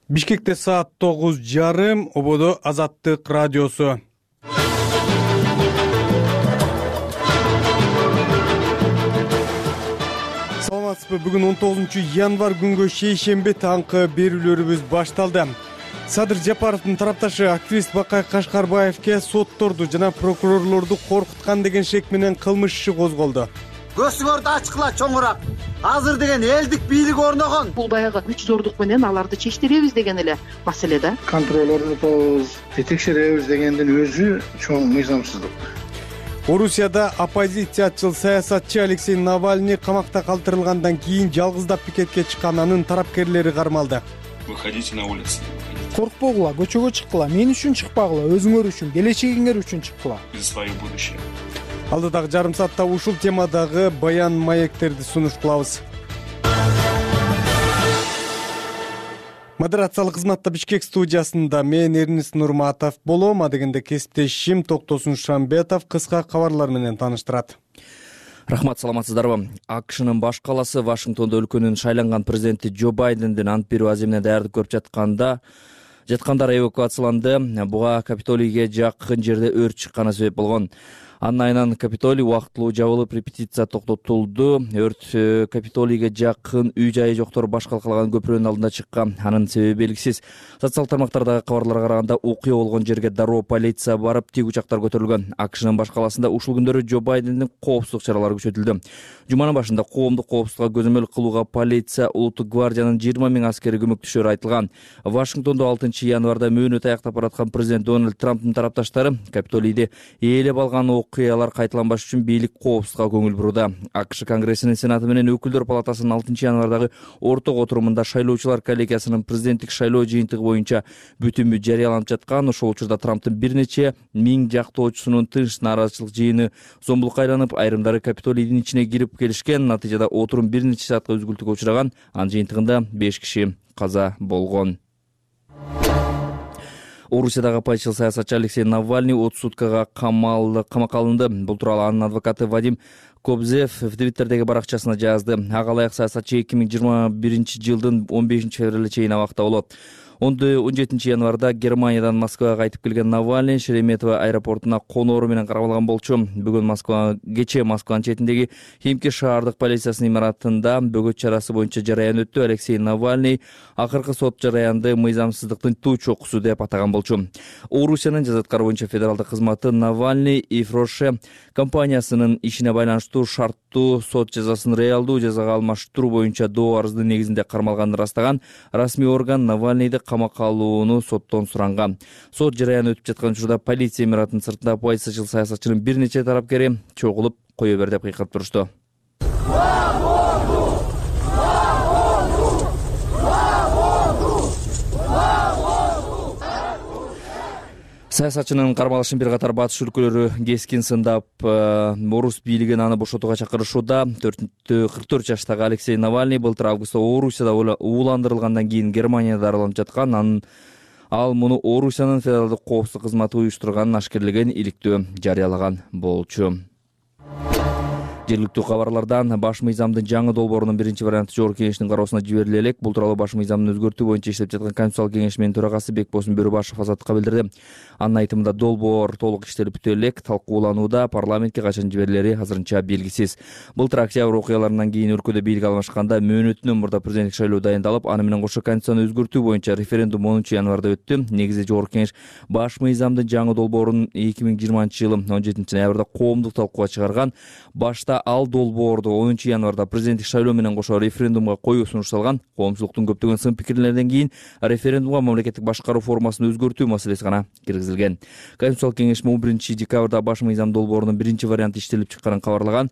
Бишкекте саат 9:30, ободо Азаттык радиосу. Саламатсызбы? Бүгүн 19-январ күнгө шейшемби таңкы берүүлөрүбүз башталды. Садыр Жапаровдун тарапташы активист Бакай Кашкарбаевке сотторду жана прокурорлорду коркуткан деген шек менен кылмыш иши козголду. Көзүңөрдү ачкыла чоңураак. Азыр деген элдик бийлик орногон. Бул баягы күч зордук менен аларды чечтиребиз деген эле маселе да. Контроль орнотобуз, текшеребиз дегендин өзү чоң мыйзамсыздык. Орусияда оппозициячыл саясатчы Алексей Навальный камакта калтырылгандан кийин жалгыздап пикетке чыккан анын тарапкерлери кармалды. Выходите на улицу. Коркпогула, көчөгө чыккыла, мен үчүн чыкпагыла, өзүңөр үчүн, келечегиңер үчүн чыккыла. За свое будущее. Алдыдагы жарым саатта ушул темадагы баян маектерди сунуш кылабыз. Модерациялык кызматта Бишкек студиясында мен Эрнис Нурматов болом, адегенде кесиптешим Токтосун Шамбетов кыска кабарлар менен тааныштырат. Рахмат, саламатсыздарбы? АКШнын баш калаасы Вашингтондо өлкөнүн шайланган президенти Джо Байдендин ант берүү аземине даярдык көрүп жаткандар эвакуацияланды. Буга Капитолийге жакын жерде өрт чыкканы себеп болгон. Анын айынан Капитолий убактылуу жабылып, репетиция токтотулду. Өрт Капитолийге жакын үй-жайы жоктор баш калкалаган көпүрөнүн алдында чыккан. Анын себеби белгисиз. Социалдык тармактардагы кабарларга караганда окуя болгон жерге дароо полиция барып, тик учактар көтөрүлгөн. АКШнын баш калаасында ушул күндөрү Джо Байдендин коопсуздук чаралары күчөтүлдү. Жуманын башында коомдук коопсуздукка көзөмөл кылууга полиция, улуттук гвардиянын 20 000 аскери көмөктөшөрү айтылган. Вашингтондо 6-январда мөөнөт аяктап бараткан президент Дональд Трамптын тарапташтары Капитолийди ээлеп алган окуялар кайталанбаш үчүн бийлик коопсуздукка көңүл буруда. АКШ Конгрессинин Сенаты менен Өкүлдөр палатасынын 6-январдагы орток отурумунда шайлоочулар коллегиясынын президенттик шайлоо жыйынтыгы боюнча бүтүмү жарыяланып жаткан. Ошол учурда Трамптын бир нече миң жактоочусунун тынч нааразычылык жыйыны зомбулукка айланып, айрымдары Капитолийдин ичине кирип келишкен. Натыйжада отурум бир нече саатка үзгүлтүккө учураган. Анын жыйынтыгында 5 киши каза болгон. Орусиядагы оппозициялык саясатчы Алексей Навальный 30 суткага камакка алынды. Бул тууралуу анын адвокаты Вадим Кобзев в Твиттердеги баракчасына жазды. Ага ылайык саясатчы 2021 жылдын 15 февралына чейин абакта болот. 17-январда Германиядан Москвага кайтып келген Навальный Шереметьево аэропортуна коноору менен каралган болчу. Бүгүн кечээ Москванын четиндеги Химки шаардык полициясынын имаратында бөгөт чарасы боюнча жараян өттү. Алексей Навальный акыркы сот жараянды мыйзамсыздыктын туу чокусу деп атаган болчу. Орусиянын жазаткары боюнча федералдык кызматы Навальный и Фроше компаниясынын ишине байланыштуу шарттуу сот жазасын реалдуу жазага алмаштыруу боюнча доо арыздын негизинде кармалганын ырастаган. Расмий орган Навальныйды камакка алууну соттон суранган. Сот жараяны өтүп жаткан учурда полиция имаратынын сыртында оппозициячыл саясатчынын бир нече тарапкери чогулуп кое бер деп кыйкырып турушту. Саясатчынын кармалышын бир катар батыш өлкөлөрү кескин сындап, орус бийлигин аны бошотууга чакырышууда. 44 жаштагы Алексей Навальный былтыр августта Орусияда ууландырылгандан кийин Германияда дарыланып жаткан. Ал муну Орусиянын федералдык коопсуздук кызматы уюштурганын ашкерлеген иликтөө жарыялаган болчу. Жергиликтүү кабарлардан баш мыйзамдын жаңы долбоорунун биринчи варианты Жогорку кеңештин кароосуна жибериле элек. Бул тууралуу баш мыйзамдын өзгөртүү боюнча иштеп жаткан Конституциялык кеңеш менен төрагасы Бекбосын Бөрүбашев Азаттыкка билдирди. Анын айтымында долбоор толук иштелип бүтө элек, талкууланууда, парламентке качан жиберилери азырынча белгисиз. Былтыр октябрь окуяларынан кийин өлкөдө бийлик алмашканда мөөнөтүнөн мурда президенттик шайлоо дайындалып, аны менен кошо Конституцияны өзгөртүү боюнча референдум 10-январда өттү. Негизи Жогорку кеңеш баш мыйзамдын жаңы долбоорун 2020-жылы 17-ноябрда коомдук талкууга чыгарган. Башта ал долбоор 10-январда президенттик шайлоо менен кошо референдумга коюу сунушталган. Коомчулуктун көптөгөн сын пикирлеринен кийин референдумга мамлекеттик башкаруу формасын өзгөртүү маселеси гана киргизилген. Конституциялык кеңеш 11-декабрда баш мыйзам долбоорунун биринчи варианты иштелип чыкканын кабарлаган.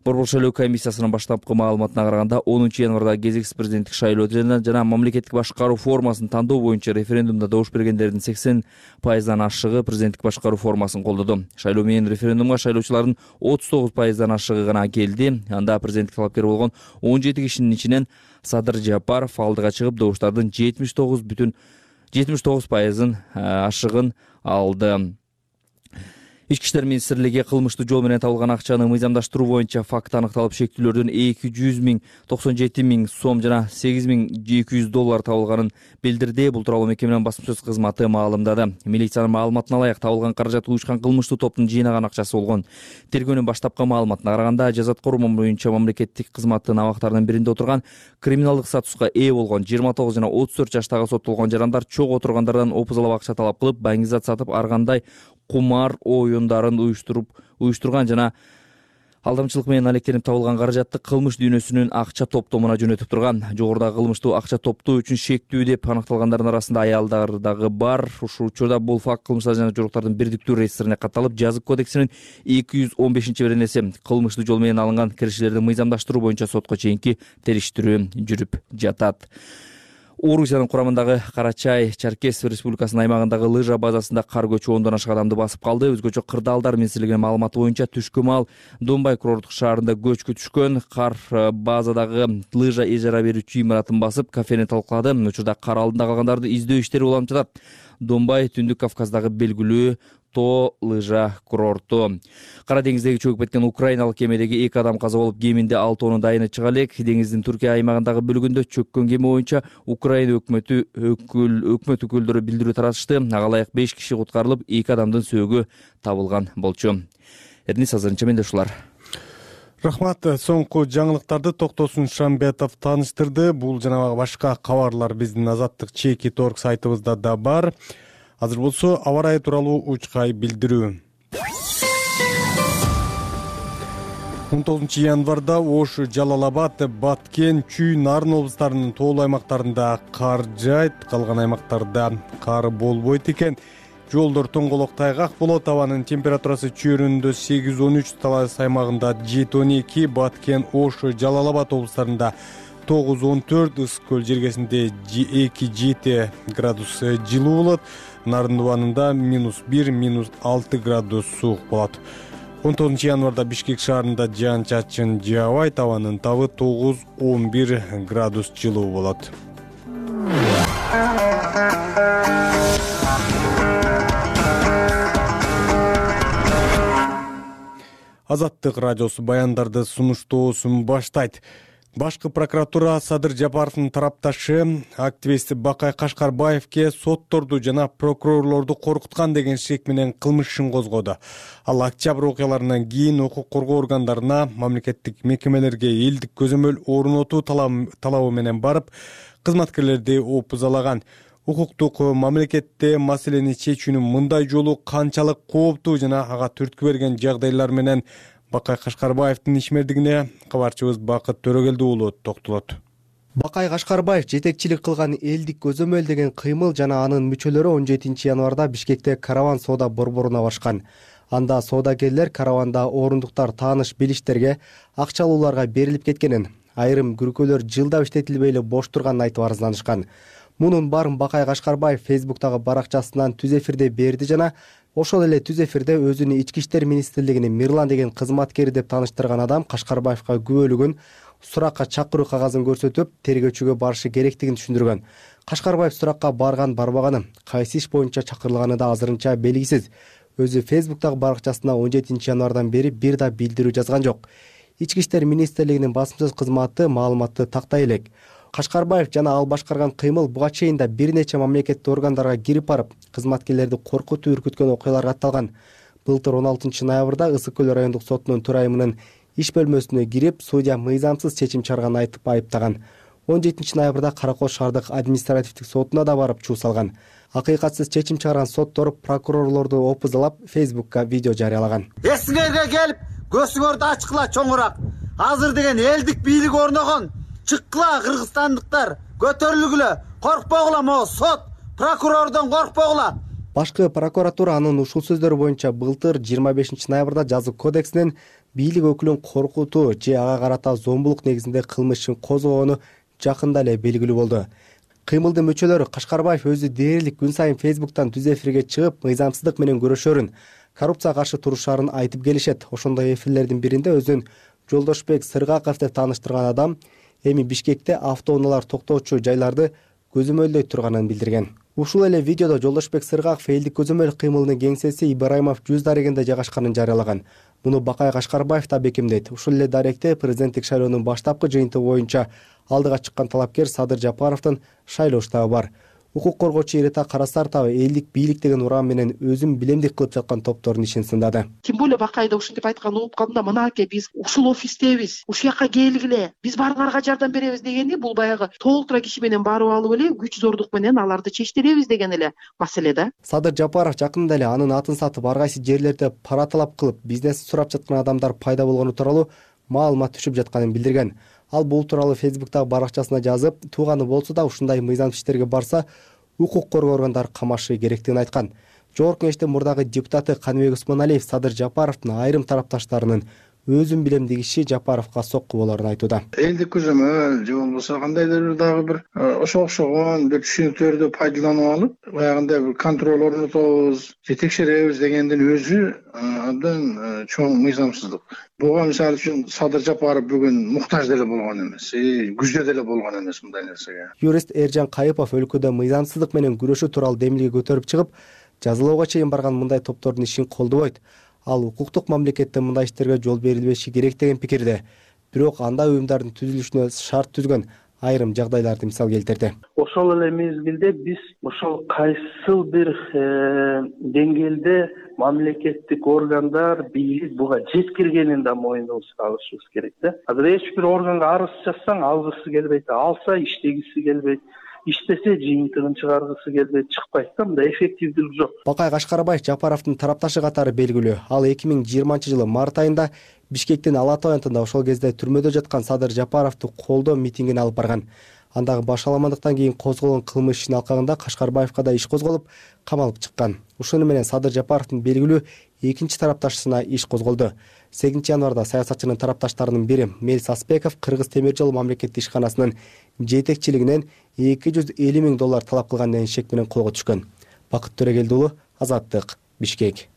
Борбор шайлоо комиссиясынын баштапкы маалыматына караганда 10-январда кезексиз президенттик шайлоо жана мамлекеттик башкаруу формасын тандоо боюнча референдумда добуш бергендердин 80%-дан ашыгы президенттик башкаруу формасын колдоду. Шайлоо менен референдумга шайлоочулардын 39%-дан ашыгы гана келди. Анда президенттик талапкер болгон 17 кишинин ичинен Садыр Жапаров алдыга чыгып добуштардын 79%-ын ашыгын алды. Ички иштер министрлиги кылмыштуу жол менен табылган акчаны мыйзамдаштыруу боюнча факт аныкталып, шектүүлөрдүн 297.000 сом жана $8.200 табылганын билдирди. Бул тууралуу мекеменин басма сөз кызматы маалымдады. Милициянын маалыматына ылайык табылган каражат уюшкан кылмыштуу топтун жыйнаган акчасы болгон. Тергөөнүн баштапкы маалыматына караганда, жазаткор боюнча мамлекеттик кызматтын абактарынын биринде отурган, криминалдык статуска ээ болгон 29 жана 34 жаштагы соттолгон жарандар чок отургандардан опузалап акча талап кылып, баңгизат сатып, ар кандай кумар оюндарын уюштурган жана алдамчылык менен алектенип табылган каражатты кылмыш дүйнөсүнүн акча топтомуна жөнөтүп турган. Жогорудагы кылмыштуу акча топтоо үчүн шектүү деп аныкталгандардын арасында аялдар дагы бар. Ушул учурда бул факт кылмыштар жана жоруктардын бирдиктүү реестрине катталып, жазык кодексинин 215-беренеси кылмыштуу жол менен алынган киришилерди мыйзамдаштыруу боюнча сотко чейинки териштирүү жүрүп жатат. Орусиянын курамындагы Карачай Черкес Республикасынын аймагындагы лыжа базасында кар көчү 10дон ашык адамды басып калды. Өзгөчө Кырдаалдар министрлигинин маалыматы боюнча түшкү маал Донбай курорттук шаарында көчкү түшкөн. Кар базадагы лыжа ижара берүүчү имаратын басып, кафени талкалады. Учурда кар алдында калгандарды издөө иштери уланып жатат. Донбай Түндүк Кавказдагы белгилүү тоо лыжа курорту. Кара деңиздеги чөгүп кеткен украиналык кемедеги 2 адам каза болуп, кеминде 6 дайыны чыга элек. Деңиздин Түркия аймагындагы бөлүгүндө чөккөн кеме боюнча Украина өкмөт өкүлдөрү билдирүү таратышты. Ага ылайык 5 киши куткарылып, 2 адамдын сөөгү табылган болчу. Эрнис азырынча менде ушулар. Рахмат. Соңку жаңылыктарды Токтосун Шамбетов тааныштырды. Бул жана башка кабарлар биздин Азаттык Чеки.org сайтыбызда да бар. Азыр болсо аба ырайы тууралуу учкай билдирүү. 19 январда Ош, Жалал-Абад, Баткен, Чүй, Нарын облустарынын тоолуу аймактарында кар жаайт, калган аймактарда кар болбойт экен. Жолдор тоңголок тайгак болот. Абанын температурасы чөйрөндө 8-13, Талас аймагында 7-12, Баткен, Ош, Жалал-Абад облустарында 9-14, Ысык көл жергесинде 2-7 градус жылуу болот. Нарын дубанында -1, -6 градус суук болот. 19 январда Бишкек шаарында жаан-чачын жаабайт. Абанын табы 9-11 градус жылуу болот. Азаттык радиосу баяндарды сунуштоосун баштайт. Башкы прокуратура Садыр Жапаровдун тарапташы активист Бакай Кашкарбаевке сотторду жана прокурорлорду коркуткан деген шек менен кылмыш ишин козгоду. Ал октябрь окуяларынан кийин укук коргоо органдарына, мамлекеттик мекемелерге элдик көзөмөл орнотуу талабы менен барып, кызматкерлерди опузалаган. Укуктук мамлекетте маселени чечүүнүн мындай жолу канчалык кооптуу жана ага түрткү берген жагдайлар менен Бакай Кашкарбаевдин ишмердигине кабарчыбыз Бакыт Төрөгелди уулу токтолот. Бакай Кашкарбаев жетекчилик кылган элдик көзөмөл деген кыймыл жана анын мүчөлөрү 17 январда Бишкекте караван соода борборуна башкан. Анда соодагерлер караванда орундуктар тааныш билиштерге, акчалууларга берилип кеткенин, айрым күркөлөр жылдап иштетилбей эле бош турганын айтып арызданышкан. Мунун баарын Бакай Кашкарбаев Фейсбуктагы баракчасынан түз эфирде берди жана ошол эле түз эфирде өзүнүн ички иштер министрлигинин Мирлан деген кызматкери деп тааныштырган адам Кашкарбаевка күбөлүгүн, суракка чакыруу кагазын көрсөтүп, тергөөчүгө барышы керектигин түшүндүргөн. Кашкарбаев суракка барган-барбаганы, кайсы иш боюнча чакырылганы да азырынча белгисиз. Өзү Фейсбуктагы баракчасына 17 январдан бери бир да билдирүү жазган жок. Ички иштер министрлигинин басма сөз кызматы маалыматты тактай элек. Кашкарбаев жана ал башкарган кыймыл буга чейин да бир нече мамлекеттик органдарга кирип барып, кызматкерлерди коркутуп үркүткөн окуялар катталган. Былтыр 16 ноябрда Ысык көл райондук сотунун төрайымынын иш бөлмөсүнө кирип, судья мыйзамсыз чечим чыгарганын айтып айыптаган. 17 ноябрда Каракол шаардык административдик сотуна да барып чуу салган. Акыйкатсыз чечим чыгарган соттор прокурорлорду опузалап, Фейсбукка видео жарыялаган. Эсиңерге келип, көзүңөрдү ачкыла чоңураак. Азыр деген элдик бийлик орногон. Чыккыла кыргызстандыктар, көтөрүлгүлө, коркпогула могу сот, прокурордон коркпогула. Башкы прокуратура анын ушул сөздөрү боюнча былтыр 25 ноябрда жазык кодексинин бийлик өкүлүн коркутуу же ага карата зомбулук негизинде кылмыш ишин козгогону жакында эле белгилүү болду. Кыймылдын мүчөлөрү Кашкарбаев өзү дээрлик күн сайын Фейсбуктан түз эфирге чыгып, мыйзамсыздык менен күрөшөрүн, коррупцияга каршы турушарын айтып келишет. Ошондой эфирлердин биринде өзүн Жолдошбек Сыргаков деп тааныштырган адам эми Бишкекте автоунаалар токтоочу жайларды көзөмөлдөй турганын билдирген. Ушул эле видеодо Жолдошбек Сыргаков элдик көзөмөл кыймылынын кеңсеси Ибраимов жүз дарегинде жайгашканын жарыялаган. Муну Бакай Кашкарбаев да бекемдейт. Ушул эле даректе президенттик шайлоонун баштапкы жыйынтыгы боюнча алдыга чыккан талапкер Садыр Жапаровдун шайлоо штабы бар. Укук коргоочу Ирета Карасартова элдик бийлик деген уран менен өзүн билемдик кылып жаткан топтордун ишин сындады. Тем более Бакайда ушинтип айтканын угуп калдым да, мынакей биз ушул офистебиз, ушул жака келгиле, биз баарыңарга жардам беребиз дегенди, бул баягы толтура киши менен барып алып эле күч зордук менен аларды чечтиребиз деген эле маселе да. Садыр Жапаров жакында эле анын атын сатып ар кайсы жерлерде пара талап кылып, бизнес сурап жаткан адамдар пайда болгону тууралуу маалымат түшүп жатканын билдирген. Ал бул тууралуу Facebook'тагы баракчасына жазып, тууганы болсо да ушундай мыйзамсыз иштерге барса укук коргоо органдары камашы керектигин айткан. Жогорку Кеңештин мурдагы депутаты Каныбек Усмоналиев Садыр Жапаровдун айрым тарапташтарынын өзүн билемдик иши Жапаровго сокку болорун айтууда. Элдик көзөмөл же болбосо кандайдыр дагы бир ошо окшогон бир түшүнүктөрдү пайдаланып алып, баягындай бир контроль орнотобуз, же текшеребиз дегендин өзү абдан чоң мыйзамсыздык. Буга мисалы үчүн Садыр Жапаров бүгүн муктаж деле болгон эмес, күздө деле болгон эмес мындай нерсеге. Юрист Эржан Кайыпов өлкөдө мыйзамсыздык менен күрөшүү тууралуу демилге көтөрүп чыгып, жазалоого чейин барган мындай топтордун ишин колдобойт. Ал укуктук мамлекетте мындай иштерге жол берилбеши керек деген пикирде. Бирок андай уюмдардын түзүлүшүнө шарт түзгөн айрым жагдайларды мисал келтирди. Ошол эле мезгилде биз ошол кайсыл бир деңгээлде мамлекеттик органдар, бийлик буга жеткиргенин да моюнубузга алышыбыз керек да. Азыр эч бир органга арыз жазсаң алгысы келбейт, алса иштегиси келбейт. Иштесе жыйынтыгын чыгаргысы келбейт, чыкпайт да, мындай эффективдүүлүк жок. Бакай Кашкарбаев Жапаровдун тарапташы катары белгилүү. Ал 2020-жылы март айында Бишкектин Алатау аянтында ошол кезде түрмөдө жаткан Садыр Жапаровду колдоо митингине алып барган. Андагы башаламандыктан кийин козголгон кылмыш ишинин алкагында Кашкарбаевга да иш козголуп, камалып чыккан. Ушуну менен Садыр Жапаровдун белгилүү экинчи тарапташысына иш козголду. 8-январда саясатчынын тарапташтарынын бири Мелис Аспеков Кыргыз темир жол мамлекеттик ишканасынын жетекчилигинен $250,000 талап кылган деген шек менен колго түшкөн. Бакыт Төрөгелди уулу, Азаттык, Бишкек.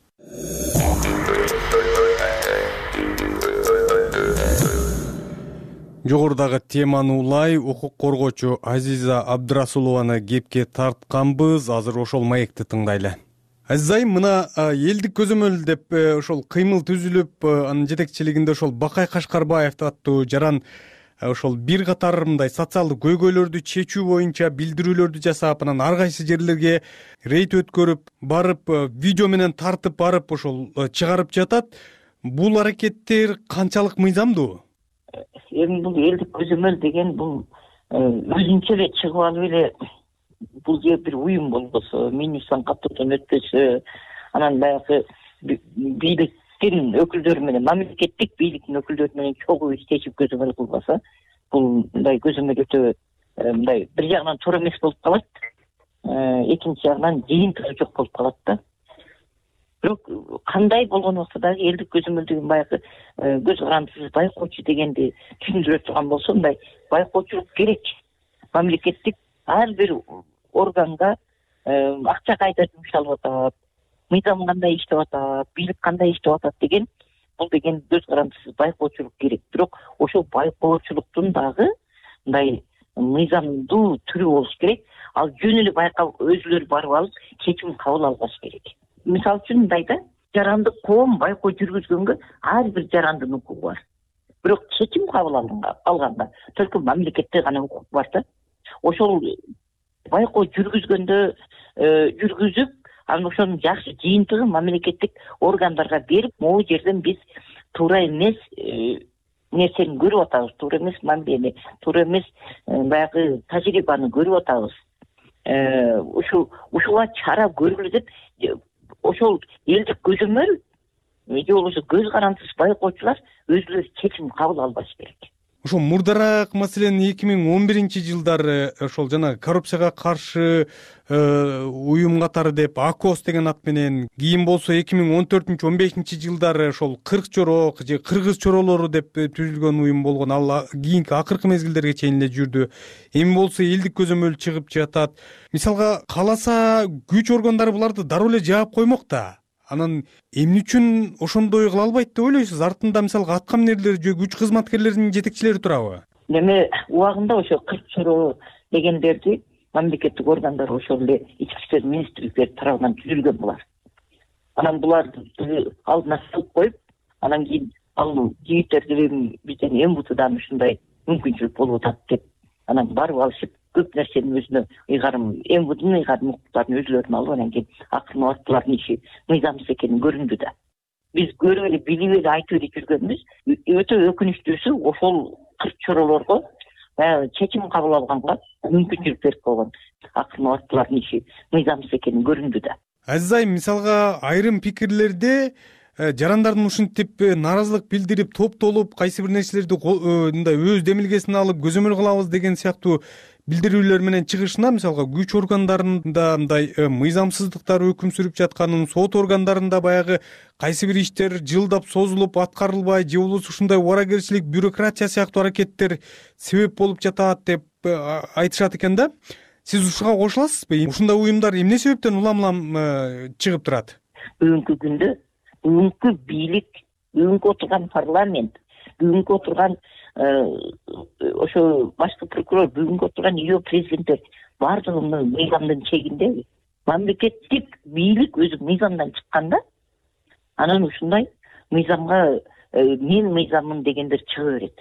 Жогорудагы теманы улай укук коргоочу Азиза Абдрасулованы кепке тартканбыз. Азыр ошол маекти тыңдайлы. Азиз айым, мына элдик көзөмөл деп ошол кыймыл түзүлүп, анын жетекчилигинде ошол Бакай Кашкарбаев аттуу жаран ошол бир катар мындай социалдык көйгөйлөрдү чечүү боюнча билдирүүлөрдү жасап, анан ар кайсы жерлерге рейд өткөрүп, барып видео менен тартып барып ошол чыгарып жатат. Бул аракеттер канчалык мыйзамдуу? Эми бул элдик көзөмөл деген бул өзүнчө эле чыгып алып эле бул же бир уюм болбосо, минусан каттоодон өтпөсө, анан баягы бийликтин өкүлдөрү менен, мамлекеттик бийликтин өкүлдөрү менен чогуу иштешип көзөмөл кылбаса, бул мындай көзөмөл өтө мындай бир жагынан туура эмес болуп калат, экинчи жагынан жыйынтыгы жок болуп калат да. Бирок кандай болгон убакта дагы элдик көзөмөл деген баягы көз карандысыз байкоочу дегенди түшүндүрө турган болсо, мындай байкоочулук керек. Мамлекеттик ар бир органга акча кайда жумшалып атат, мыйзам кандай иштеп атат, бийлик кандай иштеп атат деген, бул деген көз карандысыз байкоочулук керек. Бирок ошол байкоочулуктун дагы мындай мыйзамдуу түрү болуш керек. Ал жөн эле байкап өзүлөрү барып алып чечим кабыл албаш керек. Мисалы үчүн мындай да, жарандык коом байкоо жүргүзгөнгө ар бир жарандын укугу бар. Бирок чечим кабыл алганда только мамлекетте гана укук бар да. Ошол байкоо жүргүзгөндө жүргүзүп, анан ошонун жакшы жыйынтыгы мамлекеттик органдарга берип, могу жерден биз туура эмес нерсени көрүп атабыз, туура эмес мамилени, туура эмес баягы тажрыйбаны көрүп атабыз. Ушуга чара көргүлө деп ошол элдик көзөмөл же болбосо көз карандысыз байкоочулар өзүлөрү чечим кабыл албаш керек. Ошо мурдараак маселен 2011-жылдары ошол жана коррупцияга каршы уюм катары деп АКОС деген ат менен, кийин болсо 2014-15-жылдары ошол Кырк Чорок же Кыргыз чоролору деп түзүлгөн уюм болгон. Ал кийинки акыркы мезгилдерге чейин эле жүрдү. Эми болсо элдик көзөмөл чыгып жатат. Мисалга кааласа күч органдары буларды дароо эле жаап коймок да. Анан эмне үчүн ошондой кыла албайт деп ойлойсуз? Артында мисалга аткаминерлер же күч кызматкерлеринин жетекчилери турабы? Эми убагында ошо Кырк Чороо дегендерди мамлекеттик органдар ошол эле ички иштер министрликтери тарабынан түзүлгөн булар. Анан буларды алдына салып коюп, анан кийин ал жигиттерди бизден МВДдан ушундай мүмкүнчүлүк болуп атат деп анан барып алышып көп нерсенин өзүнө ыйгарым МВДнын ыйгарым укуктарын өзүлөрүнө алып анан кийин акырын булардын иши мыйзамсыз экени көрүндү да. Биз көрүп эле билип эле айтып эле жүргөнбүз. Өтө өкүнүчтүүсү ошол кырк чоролорго баягы чечим кабыл алганга мүмкүнчүлүк берип койгон. Акырын булардын иши мыйзамсыз экени көрүндү да. Азиз айым, мисалга айрым пикирлерде жарандардын ушинтип нааразылык билдирип топтолуп кайсы бир нерселерди мындай өз демилгесине алып көзөмөл кылабыз деген сыяктуу билдирүүлөр менен чыгышына, мисалга күч органдарында мындай мыйзамсыздыктар өкүм сүрүп жатканын, сот органдарында баягы кайсы бир иштер жылдап созулуп аткарылбай же болбосо ушундай убаракерчилик, бюрократия сыяктуу аракеттер себеп болуп жатат деп айтышат экен да. Сиз ушуга кошуласызбы? Ушундай уюмдар эмне себептен улам чыгып турат? Бүгүнкү күндө бүгүнкү бийлик, бүгүнкү отурган парламент, бүгүнкү отурган ошо башкы прокурор, бүгүнкү отурган ИО президенттер баардыгы мыйзамдын чегиндеби? Мамлекеттик бийлик өзү мыйзамдан чыкканда, анан ушундай мыйзамга мен мыйзаммын дегендер чыга берет.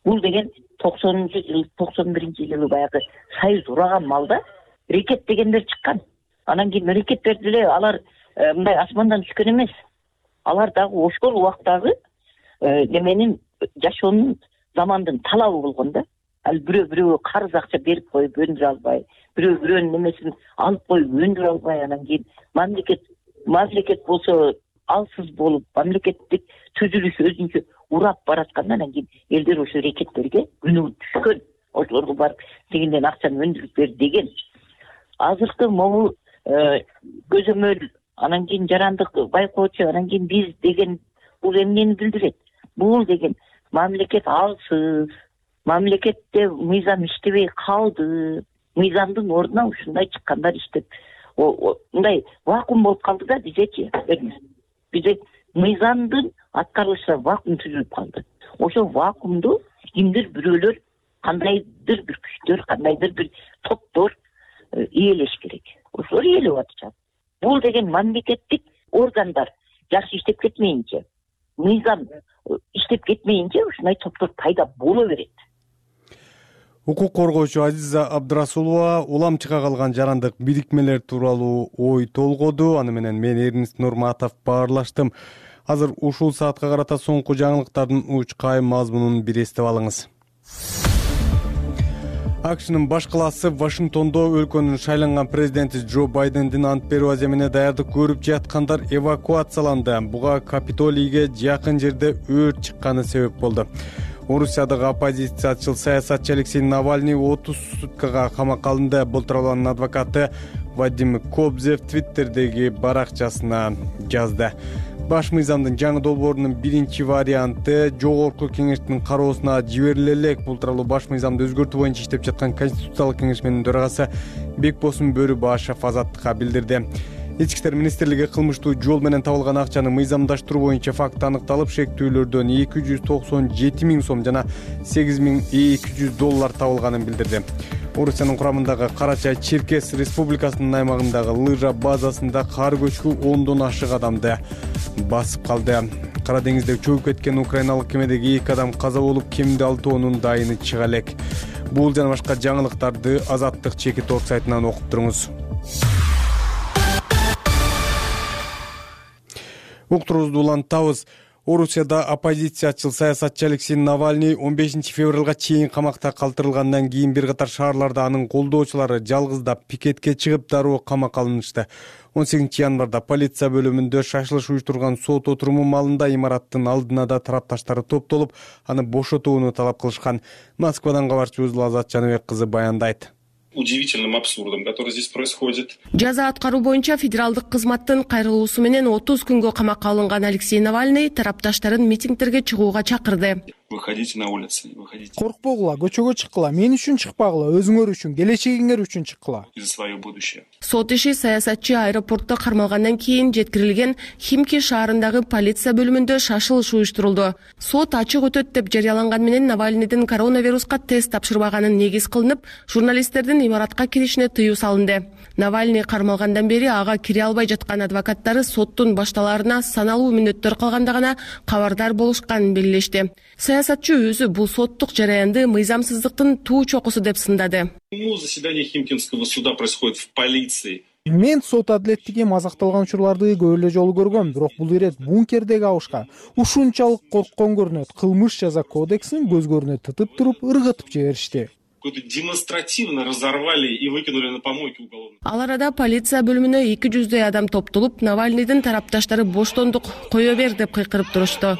Бул деген 91-жылы баягы союз ураган малда рекет дегендер чыккан. Анан кийин рекеттерди эле алар мындай асмандан түшкөн эмес. Алар дагы ошол убактагы неменин жашоонун замандын талабы болгон да. Ал бирөө карыз акча берип коюп өндүрө албай, бирөөнүн немесин алып коюп өндүрө албай, анан кийин мамлекет болсо алсыз болуп, мамлекеттик түзүлүш өзүнчө урап бараткандан анан кийин элдер ошо рекеттерге күнөө түшкөн. Ошолорго барып тигинден акчаны өндүрүп бер деген. Азыркы могу көзөмөл, анан кийин жарандык байкоочу, анан кийин биз деген бул эмнени билдирет? Бул деген мамлекет алсыз, мамлекетте мыйзам иштебей калды, мыйзамдын ордуна ушундай чыккандар иштеп, мындай вакуум болуп калды да бизечи. Бизде мыйзамдын аткарылышына вакуум түзүлүп калды. Ошол вакуумду кимдир бирөөлөр, кандайдыр бир күчтөр, кандайдыр бир топтор ээлеш керек. Ошолор ээлеп атышат. Бул деген мамлекеттик органдар жакшы иштеп кетмейинче, мыйзам иштеп кетмейинче ушундай топтор пайда боло берет. Укук коргоочу Азиза Абдрасулова уламчыга калган жарандык бирикмелер тууралуу ой толгоду. Аны менен мен Эрнест Нурматов баарлаштым. Азыр ушул саатка карата соңку жаңылыктардын уч кайым мазмунун бир эстеп алыңыз. АКШнын баш калаасы Вашингтондо өлкөнүн шайланган президенти Джо Байдендин ант берүү аземине даярдык көрүп жаткандар эвакуацияланды. Буга Капитолийге жакын жерде өрт чыкканы себеп болду. Орусиядагы оппозициячыл саясатчы Алексей Навальный 30 суткага камакка алынды. Бул тууралуу анын адвокаты Вадим Кобзев Твиттердеги баракчасына жазды. Баш мыйзамдын жаңы долбоорунун биринчи варианты жогорку кеңештин кароосуна жибериле элек. Бул тууралуу баш мыйзамды өзгөртүү боюнча иштеп жаткан Конституциялык кеңешменин төрагасы Бекбосун Бөрүбашев Азаттыкка билдирди. Ички иштер министрлиги кылмыштуу жол менен табылган акчаны мыйзамдаштыруу боюнча факт аныкталып, шектүүлөрдөн 297 миң сом жана $8200 табылганын билдирди. Орусиянын курамындагы Карачай-Черкес республикасынын аймагындагы лыжа базасында кар көчкү 10дон ашык адамды басып калды. Кара деңизде чөгүп кеткен украиналык кемедеги 2 адам каза болуп, кеминде 6 дайыны чыга элек. Бул жана башка жаңылыктарды Азаттык чекит орг сайтынан окуп туруңуз. Уктурубузду улантабыз. Орусияда оппозициячыл саясатчы Алексей Навальный 15 февралга чейин камакта калтырылгандан кийин бир катар шаарларда анын колдоочулары жалгыздап пикетке чыгып дароо камакка алынышты. 18 январда полиция бөлүмүндө шашылыш уюштурган сот отуруму маалында имараттын алдына да тарапташтары топтолуп, аны бошотууну талап кылышкан. Москвадан кабарчыбыз Азат Жаныбек кызы баяндайт. Удивительным абсурдом, который здесь происходит. Жаза аткаруу боюнча федералдык кызматтын кайрылуусу менен 30 күнгө камакка алынган Алексей Навальный тарапташтарын митингдерге чыгууга чакырды. Выходите на улицы, выходите. Коркпогула, көчөгө чыккыла, мен үчүн чыкпагыла, өзүңөр үчүн, келечегиңер үчүн чыккыла. За свое будущее. Сот иши саясатчы аэропортто кармалгандан кийин жеткирилген Химки шаарындагы полиция бөлүмүндө шашылыш уюштурулду. Сот ачык өтөт деп жарыяланган менен Навальныйдын коронавируска тест тапшырбаганын негиз кылынып, журналисттердин имаратка киришине тыюу салынды. Навальный кармалгандан бери ага кире албай жаткан адвокаттары соттун башталаарына саналуу мүнөттөр калганда гана кабардар болушканын белгилешти. Саясатчы өзү бул соттук жараянды мыйзамсыздыктын туу чокусу деп сындады. Заседание Химкинского суда происходит в полиции. Мен сот адилеттиги мазакталган учурларды көп эле жолу көргөм, бирок бул ирет бункердеги абышка ушунчалык корккон көрүнөт. Кылмыш жаза кодексин көзгөрүнө тытып туруп ыргытып жиберишти. Демонстративно разорвали и выкинули на помойки уголовно. Ал арада полиция бөлүмүнө 200 адам топтолуп, Навальныйдын тарапташтары боштондук кое бер деп кыйкырып турушту.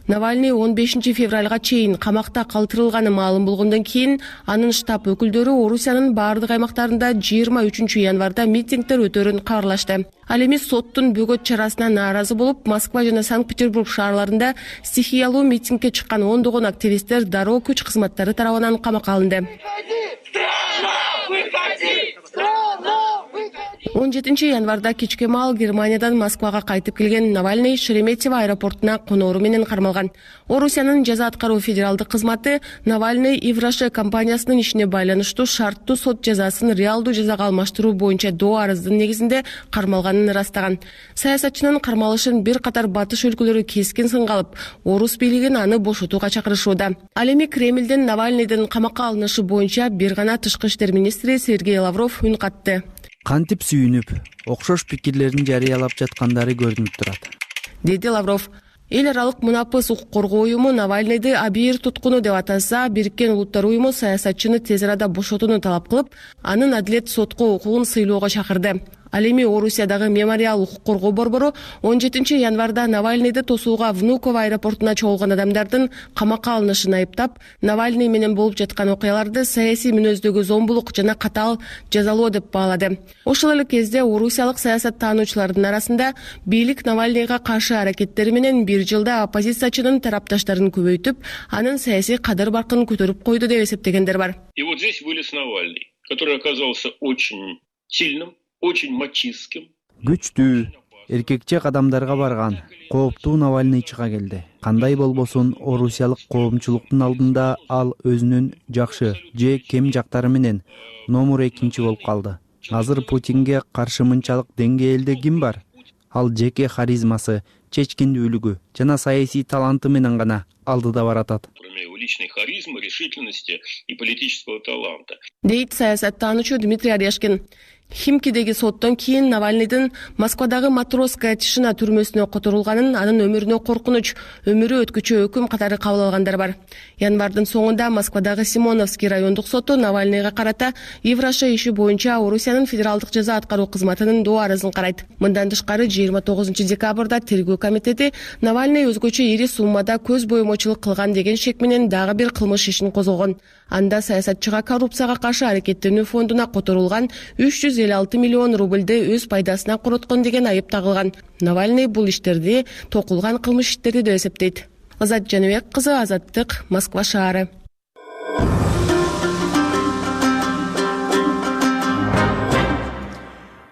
Навальный 15 февралга чейин камакта калтырылганы маалым болгондон кийин анын штаб өкүлдөрү Орусиянын баардык аймактарында 23 январда митингдер өтөрүн кабарлашты. Ал эми соттун бөгөт чарасына нааразы болуп, Москва жана Санкт-Петербург шаарларында стихиялуу митингге чыккан ондогон активисттер дароо күч кызматтары тарабынан камакка алынды. 17 январда кечке маал Германиядан Москвага кайтып келген Навальный Шереметьево аэропортуна конору менен кармалган. Орусиянын жаза аткаруу федералдык кызматы Навальный Ивраше компаниясынын ишине байланыштуу шарттуу сот жазасын реалдуу жазага алмаштыруу боюнча доо арыздын негизинде кармалганын ырастаган. Саясатчынын кармалышын бир катар батыш өлкөлөрү кескин сынга алып, орус бийлигин аны бошотууга чакырышууда. Ал эми Кремлден Навальныйдын камакка алынышы боюнча бир гана тышкы иштер министри Сергей Лавров үн катты. Кантип сүйүнүп, окшош пикирлерин жарыялап жаткандары көрүнүп турат, деди Лавров. Эл аралык мунапыс укук коргоо уюму Навальныйды абийир туткуну деп атаса, Бириккен Улуттар уюму саясатчыны тез арада бошотууну талап кылып, анын адилет сотко укугун сыйлоого чакырды. Ал эми Орусиядагы мемориал укук коргоо борбору 17 январда Навальныйды тосууга Внуково аэропортуна чогулган адамдардын камакка алынышын айыптап, Навальный менен болуп жаткан окуяларды саясий мүнөздөгү зомбулук жана катаал жазалоо деп баалады. Ошол эле кезде орусиялык саясаттануучулардын арасында бийлик Навальныйга каршы аракеттери менен бир жылда оппозициячынын тарапташтарын көбөйтүп, анын саясий кадыр-баркын көтөрүп койду деп эсептегендер бар. И вот здесь вылез Навальный, который оказался очень сильным, очень мачистским. Күчтүү, эркекче кадамдарга барган, кооптуу Навальный чыга келди. Кандай болбосун, орусиялык коомчулуктун алдында ал өзүнүн жакшы же кем жактары менен номер 2 болуп калды. Азыр Путинге каршы мынчалык деңгээлде ким бар? Ал жеке харизмасы, чечкиндүүлүгү жана саясий таланты менен гана алдыда баратат. Кроме его личной харизмы, решительности и политического таланта. Дейт саясаттануучу Дмитрий Орешкин. Химкидеги соттон кийин Навальныйдын Москвадагы Матросская тишина түрмөсүнө которулганын, анын өмүрүнө коркунуч, өмүрү өткүчө өкүм катары кабыл алгандар бар. Январдын соңунда Москвадагы Симоновский райондук соту Навальныйга карата Ивраше иши боюнча Орусиянын федералдык жаза аткаруу кызматынын доо арызын карайт. Мындан тышкары 29 декабрда тергөө комитети Навальный өзгөчө ири суммада көз боемочулук кылган деген шек менен дагы бир кылмыш ишин козгогон. Анда саясатчыга коррупцияга каршы аракеттенүү фондуна которулган 356 миллион рубльды өз пайдасына короткон деген айып тагылган. Навальный бул иштерди токулган кылмыш иштерди деп эсептейт. Азат Жаныбек кызы, Азаттык, Москва шаары.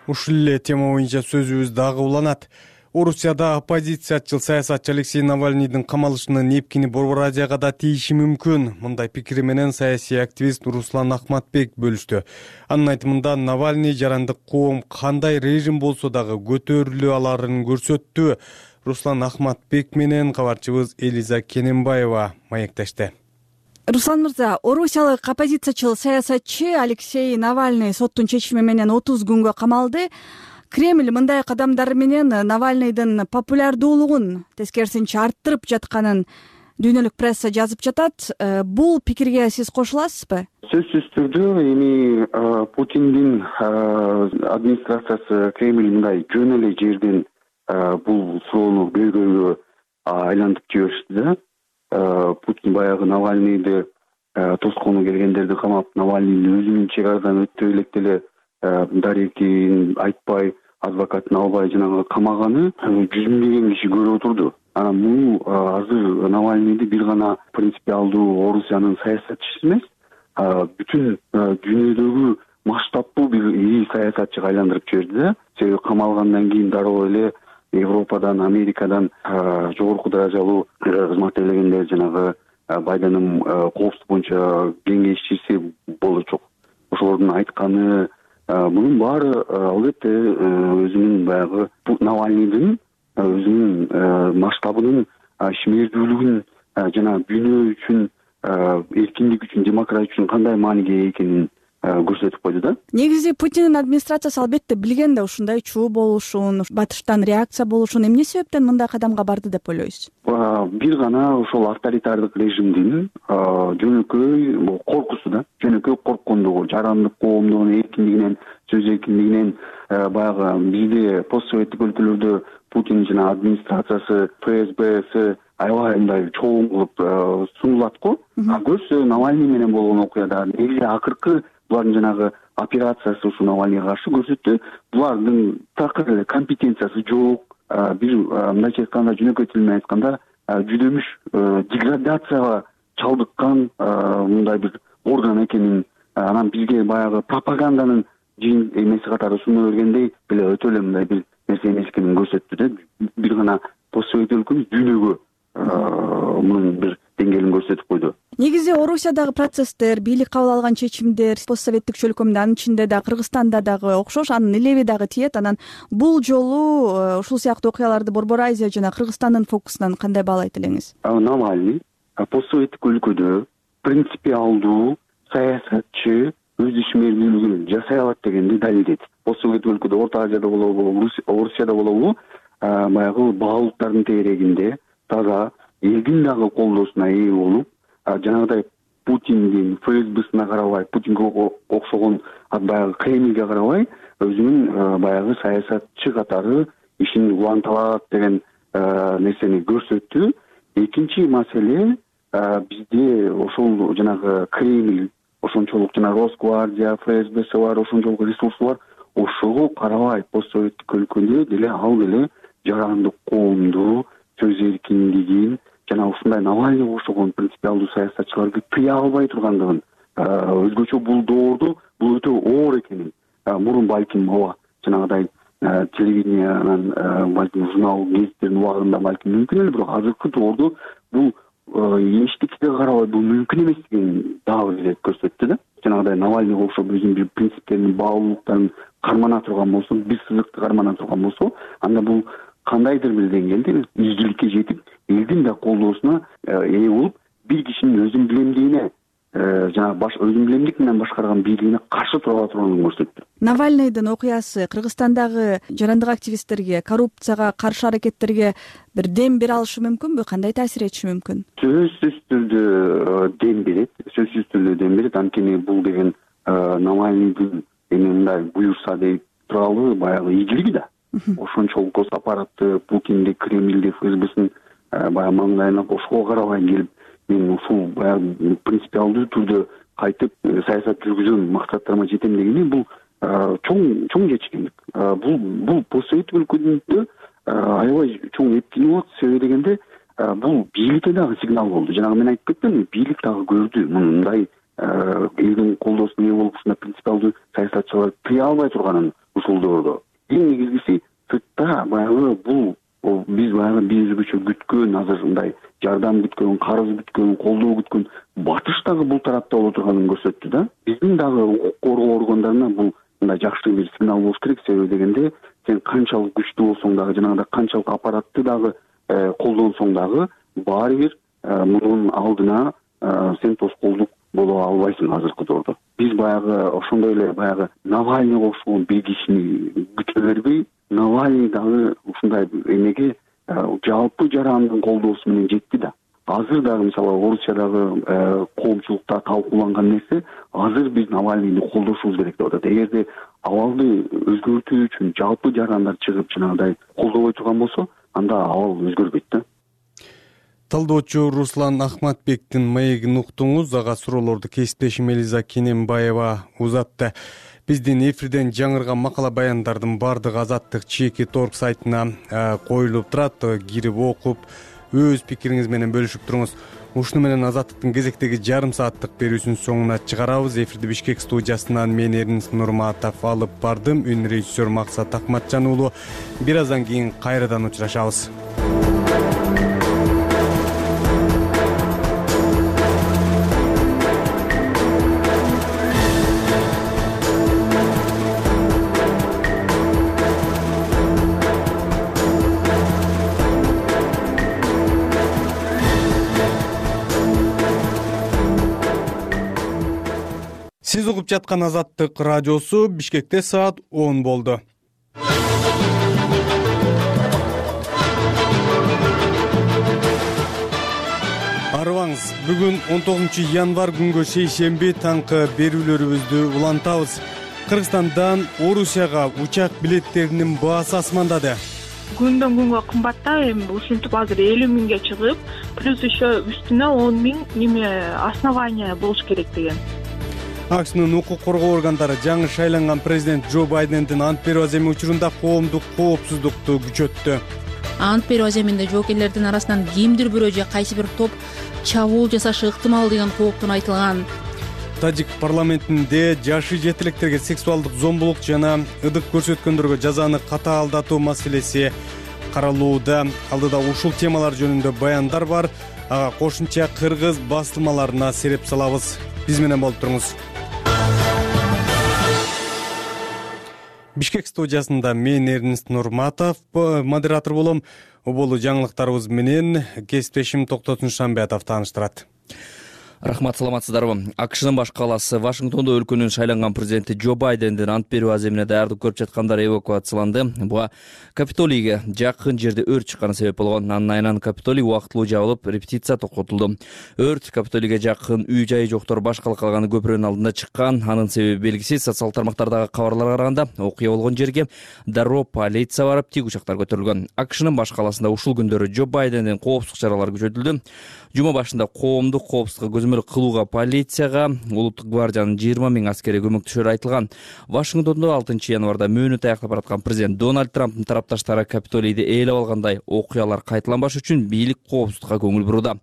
Ушул эле тема боюнча сөзүбүз дагы уланат. Орусияда оппозициячыл саясатчы Алексей Навальныйдын камалышынын эпкини Борбор Азияга да тийиши мүмкүн. Мындай пикири менен саясий активист Руслан Ахматбек бөлүштү. Анын айтымында Навальный жарандык коом кандай режим болсо дагы көтөрүлө аларын көрсөттү. Руслан Ахматбек менен кабарчыбыз Элиза Кененбаева маектешти. Руслан мырза, орусиялык оппозициячыл саясатчы Алексей Навальный соттун чечими менен 30 күнгө камалды. Кремль мындай кадамдар менен Навальныйдын популярдуулугун тескерисинче арттырып жатканын дүйнөлүк пресса жазып жатат. Бул пикирге сиз кошуласызбы? Сөзсүз түрдө эми Путиндин администрациясы Кремль мындай жөн эле жерден бул суроону көйгөйгө айлантып жиберишти да. Путин баягы Навальныйды тоскону келгендерди камап, Навальныйдын өзүнүн чек арадан өтө электе эле дарекин айтпай адвокатын албай жанагы камаганы 100 миңдеген киши көрүп отурду. Анан бул азыр Навальныйды бир гана принципиалдуу Орусиянын саясатчысы эмес, бүтүн дүйнөдөгү масштабтуу бир ири саясатчыга айландырып жиберди да. Себеби камалгандан кийин дароо эле Европадан, Америкадан жогорку даражалуу кызмат ээлегендер жанагы Байдендин коопсуздук боюнча кеңешчиси болчок. Ошолордун айтканы мунун баары албетте өзүнүн баягы Навальныйдын өзүнүн масштабынын ишмердүүлүгүн жана дүйнө үчүн эркиндик үчүн, демократия үчүн кандай мааниге экенин көрсөтүп койду да. Негизи Путиндин администрациясы албетте билген да ушундай чуу болушун, батыштан реакция болушун. Эмне себептен мындай кадамга барды деп ойлойсуз? Бир гана ошол авторитардык режимдин жөнөкөй коркусу да, жөнөкөй корккондугу, жарандык коомдугунун эркиндигинен, сөз эркиндигинен. Баягы бизде постсоветтик өлкөлөрдө Путин жана администрациясы, ФСБси аябай мындай чоң кылып сунулат го. Көрсө Навальный менен болгон окуяда негизи акыркы булардын жанагы операциясы ушу Навальныйга каршы көрсөттү. Булардын такыр эле компетенциясы жок. Бир мындайча айтканда, жөнөкөй тил менен айтканда, жүдөмүш деградацияга чалдыккан мындай бир орган экенин, анан бизге баягы пропаганданын жин эмеси катары сунуп бергендей эле өтө эле мындай бир нерсе эмес экенин көрсөттү да. Бир гана постсовет өлкөбүз дүйнөгө мунун бир деңгээлин көрсөтүп койду. Негизи Орусиядагы процесстер, бийлик кабыл алган чечимдер постсоветтик чөлкөмдө, анын ичинде да Кыргызстанда дагы окшош, анын илеви дагы тиет. Анан бул жолу ушул сыяктуу окуяларды Борбор Азия жана Кыргызстандын фокусунан кандай баалайт элеңиз? Навальный постсоветтик өлкөдө принципиалдуу саясатчы өз ишмердүүлүгүн жасай алат дегенди далилдеди. Постсоветтик өлкөдө, Орто Азияда болобу, Орусияда болобу, баягы баалуулуктардын тегерегинде таза элдин дагы колдоосуна ээ болуп, жанагыдай Путиндин ФСБсине карабай, Путинге окшогон баягы Кремльге карабай, өзүнүн баягы саясатчы катары ишин уланталат деген нерсени көрсөттү. Экинчи маселе, бизде ошол жанагы Кремль, ошончолук жана Росгвардия, ФСБси бар, ошончолук ресурсу бар. Ошого карабай постсоветтик өлкөдө деле ал деле жарандык коомду, сөз эркиндигин жана ушундай Навальныйга окшогон принципиалдуу саясатчыларды тыя албай тургандыгын, өзгөчө бул доордо бул өтө оор экенин, мурун балким ооба жанагыдай телевидениянан, балким журнал гезиттердин убагында балким мүмкүн эле, бирок азыркы доордо бул эчтекеге карабай бул мүмкүн эместигин дагы бир ирет көрсөттү да. Жанагыдай Навальныйга окшоп өзүнүн бир принциптерин, баалуулуктарын кармана турган болсо, бир сызыкты кармана турган болсо, анда бул кандайдыр бир деңгээлде изгиликке жетип, элдин да колдоосуна ээ болуп, бир кишинин өзүн билемдигине, жана өзүн билемдик менен башкарган бийлигине каршы тура турганын көрсөттү. Навальныйдын окуясы Кыргызстандагы жарандык активисттерге, коррупцияга каршы аракеттерге бир дем бере алышы мүмкүнбү? Кандай таасир этиши мүмкүн? Сөзсүз түрдө дем берет. Сөзсүз түрдө дем берет. Анткени бул деген Навальныйдын эми мындай буюрса деп туралы баягы ийгилиги да. Ошончолук гос аппаратты, Путинди, Кремльди, ФСБсин баягы маңдайына ошого карабай келип, мен ушул баягы принципиалдуу түрдө кайтып саясат жүргүзөм, максаттарыма жетем дегени бул чоң чечкиндик. Бул постсоветтик өлкөдө аябай чоң эптини болот. Себеби дегенде бул бийликке дагы сигнал болду. Жанагы мен айтып кеттим, бийлик дагы көрдү мындай элдин колдоосуна ээ болуп, ушундай принципиалдуу саясатчыларды тыя албай турганын ушул доордо. Эң негизгиси сыртта баягы бул биз баягы өзгөчө күткөн, азыр мындай жардам күткөн, карыз күткөн, колдоо күткөн батыш дагы бул тарапта боло турганын көрсөттү да. Биздин дагы укук коргоо органдарына бул мындай жакшы бир сигнал болуш керек. Себеби дегенде сен канчалык күчтүү болсоң дагы, жанагыдай канчалык аппаратты дагы колдонсоң дагы баары бир мунун алдына сен тоскоолдук боло албайсың азыркы доордо. Биз баягы ошондой эле баягы Навальныйга окшогон бир кишини күтө бербей, Навальный дагы ушундай эмеге жалпы жарандын колдоосу менен жетти да. Азыр дагы мисалы Орусиядагы коомчулукта талкууланган нерсе, азыр биз Навальныйды колдошубуз керек деп атат. Эгерде абалды өзгөртүү үчүн жалпы жарандар чыгып жанагыдай колдобой турган болсо, анда абал өзгөрбөйт да. Талдоочу Руслан Ахматбектин маегин уктуңуз. Ага суроолорду кесиптешим Элиза Кененбаева узатты. Биздин эфирден жаңырган макала баяндардын баардыгы Азаттык чеки торг сайтына коюлуп турат. Кирип окуп, өз пикириңиз менен бөлүшүп туруңуз. Ушуну менен Азаттыктын кезектеги жарым сааттык берүүсүнүн соңуна чыгарабыз. Эфирди Бишкек студиясынан мен Эрнис Нурматов алып бардым. Үн режиссер Максат Акматжан уулу. Бир аздан кийин кайрадан учурашабыз. Сиз угуп жаткан Азаттык радиосу. Бишкекте саат 10 болду. Арыбаңыз, бүгүн 19 январь күнгө шейшемби таңкы берүүлөрүбүздү улантабыз. Кыргызстандан Орусияга учак билеттеринин баасы асмандады. Күндөн күнгө кымбаттап, эми ушинтип азыр 50 миңге чыгып, плюс еще үстүнө 10 миң основания болуш керек деген. АКШнын укук коргоо органдары жаңы шайланган президент Джо Байдендин ант берүү аземи учурунда коомдук коопсуздукту күчөттү. Ант берүү аземинде жоокерлердин арасынан кимдир бирөө же кайсы бир топ чабуул жасашы ыктымал деген кооптун айтылган. Тажик парламентинде жашы жетилектерге сексуалдык зомбулук жана ыдык көрсөткөндөргө жазаны катаалдатуу маселеси каралууда. Алдыда ушул темалар жөнүндө баяндар бар. Ага кошумча кыргыз басылмаларына сереп салабыз. Биз менен болуп туруңуз. Бишкек студиясында мен Эрнис Нурматов модератор болом. Оболу жаңылыктарыбыз менен кесиптешим Токтотун Шамбетов тааныштырат. Рахмат, саламатсыздарбы. АКШнын баш калаасы Вашингтондо өлкөнүн шайланган президенти Джо Байдендин ант берүү аземине даярдык көрүп жаткандар эвакуацияланды. Буга Капитолийге жакын жерде өрт чыкканы себеп болгон. Анын айынан Капитолий убактылуу жабылып, репетиция токотулду. Өрт Капитолийге жакын үй-жайы жоктор баш калкалганы көпүрөнүн алдында чыккан. Анын себеби белгисиз. Социалдык тармактардагы кабарларга караганда окуя болгон жерге дароо полиция барып, тигучактар көтөрүлгөн. АКШнын баш калаасында ушул күндөрү Джо Байдендин коопсуздук чаралары күчөтүлдү. Жума башында коомдук коопсуздукка көзөмөл кылууга полицияга улуттук гвардиянын 20 миң аскери көмөктөшөрү айтылган. Вашингтондо 6 январда мөөнөтү аяктап бараткан президент Дональд Трамптын тарапташтары Капитолийди ээлеп алгандай окуялар кайталанбаш үчүн бийлик коопсуздукка көңүл бурууда.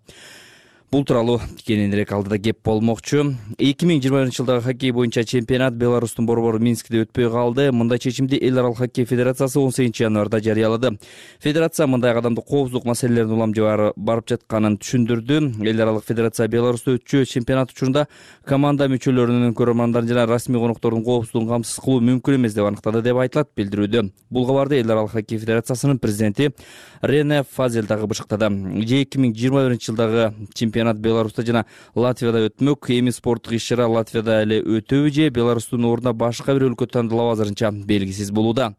Бул тууралуу кененирээк алдыда кеп болмокчу. 2021-жылдагы хоккей боюнча чемпионат Беларустун борбору Минскте өтпөй калды. Мындай чечимди Эл аралык хоккей федерациясы 18 январда жарыялады. Федерация мындай кадамды коопсуздук маселелерин уламжы барып жатканын түшүндүрдү. Эл аралык федерация Беларусту өтчү чемпионат учурунда команда мүчөлөрүнүн, көрөрмандардын жана расмий коноктордун коопсуздугун камсыз кылуу мүмкүн эмес деп аныктады деп айтылат билдирүүдө. Бул кабарды Эл аралык хоккей федерациясынын президенти Рене Фазел дагы бышыктады. 2021-жылдагы чемпионат Беларуста жана Латвияда өтмөк. Эми спорттук иш-чара Латвияда эле өтөбү же Беларустун ордуна башка бир өлкө тандалабы азырынча белгисиз болууда.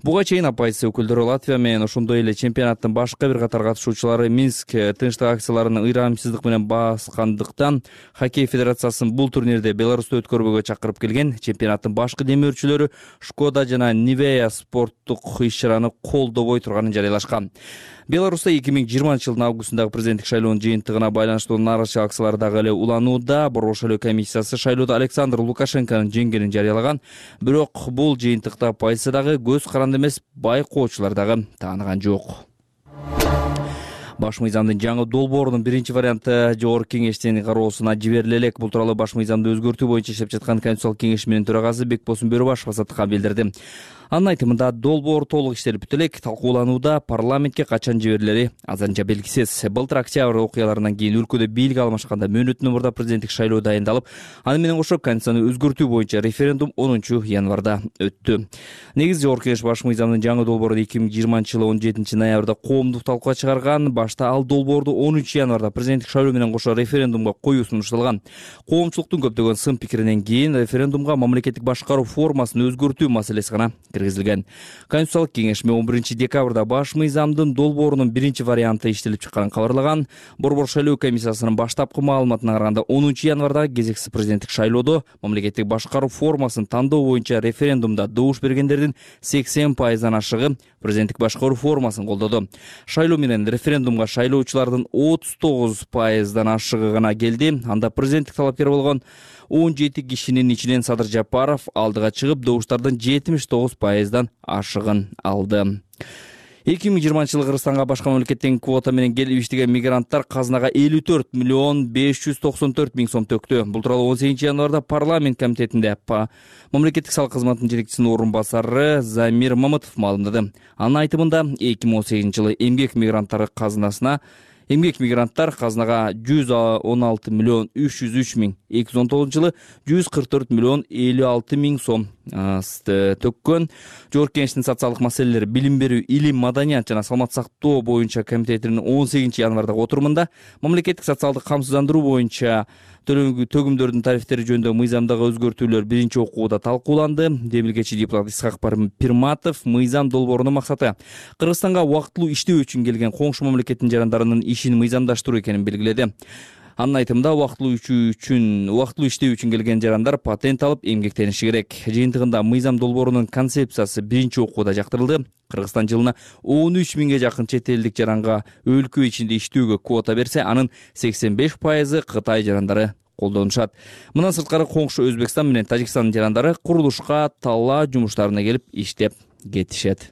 Буга чейин оппозиция өкүлдөрү Латвия менен ошондой эле чемпионаттын башка бир катар катышуучулары Минск тынчтык акцияларын ыйрамсыздык менен баскандыктан хоккей федерациясын бул турнирде Беларусту өткөрбөөгө чакырып келген. Чемпионаттын башкы демөөрчүлөрү Шкода жана Nivea спорттук иш-чараны колдобой турганын жарыялашкан. Беларуста 2020-жылдын августундагы президенттик шайлоонун жыйынтыгына байланыштуу нааразычылык акциялары дагы эле уланууда. Борбор шайлоо комиссиясы шайлоодо Александр Лукашенконун жеңгенин жарыялаган. Бирок бул жыйынтыкта оппозиция дагы көз каранды эмес, байкоочулар дагы тааныган жок. Баш мыйзамдын жаңы долбоорунун биринчи варианты Жогорку кеңештин кароосуна жибериле элек. Бул тууралуу баш мыйзамды өзгөртүү боюнча иштеп жаткан Конституциялык кеңешинин төрагасы Бекбосун Бөрөбашев Азаттыкка билдирди. Анын айтымында долбоор толук иштелип бүтө элек, талкууланууда, парламентке качан жиберилери азырынча белгисиз. Былтыр октябрь окуяларынан кийин өлкөдө бийлик алмашканда мөөнөттөн мурда президенттик шайлоо дайындалып, аны менен кошо Конституцияны өзгөртүү боюнча референдум 10 январда өттү. Негизи Жогорку кеңеш баш мыйзамдын жаңы долбоорун 2020-жылы 17 ноябрда коомдук талкууга чыгарган. Башта ал долбоорду 13 январда президенттик шайлоо менен кошо референдумга коюу сунушталган. Коомчулуктун көптөгөн сын пикиринен кийин референдумга мамлекеттик башкаруу формасын өзгөртүү маселеси гана киргизилген. Конституциялык кеңеш 11 декабрда баш мыйзамдын долбоорунун биринчи варианты иштелип чыкканын кабарлаган. Борбор шайлоо комиссиясынын баштапкы маалыматына караганда 10 январда кезексиз президенттик шайлоодо мамлекеттик башкаруу формасын тандоо боюнча референдумда добуш бергендердин 80%дан ашыгы президенттик башкаруу формасын колдоду. Шайлоо менен референдумга шайлоочулардын 39%дан ашыгы гана келди. Анда президенттик талапкер болгон 17 кишинин ичинен Садыр Жапаров алдыга чыгып, добуштардын 79%дан ашыгын алды. 2020 Кыргызстанга башка мамлекеттен квота менен келип иштеген мигранттар казынага 54 миллион 594 миң сом төктү. Бул тууралуу 18 январда парламент комитетинде мамлекеттик салык кызматынын жетекчисинин орун басары Замир Мамытов маалымдады. Анын айтымында 2018 жылы эмгек мигранттар казынага 116 миллион 303 миң, 2019 жылы 144 миллион 56 миң сом төккөн. Жогорку Кеңештин социалдык маселелер, билим берүү, илим, маданият жана саламаттык сактоо боюнча комитетинин 18 январдагы отурумунда мамлекеттик социалдык камсыздандыруу боюнча төгүмдөрдүн тарифтери жөнүндө мыйзамдагы өзгөртүүлөр биринчи окууда талкууланды. Демилгечи депутат Исхак Пирматов мыйзам долбоорунун максаты Кыргызстанга убактылуу иштөө үчүн келген коңшу мамлекеттин жарандарынын ишин мыйзамдаштыруу экенин белгиледи. Анын айтымында убактылуу иштөө үчүн келген жарандар патент алып эмгектениши керек. Жыйынтыгында мыйзам долбоорунун концепциясы биринчи окууда жактырылды. Кыргызстан жылына 13 миңге жакын чет элдик жаранга өлкө ичинде иштөөгө квота берсе, анын 85% Кытай жарандары колдонушат. Мындан сырткары коңшу Өзбекстан менен Тажикстандын жарандары курулушка, талаа жумуштарына келип иштеп кетишет.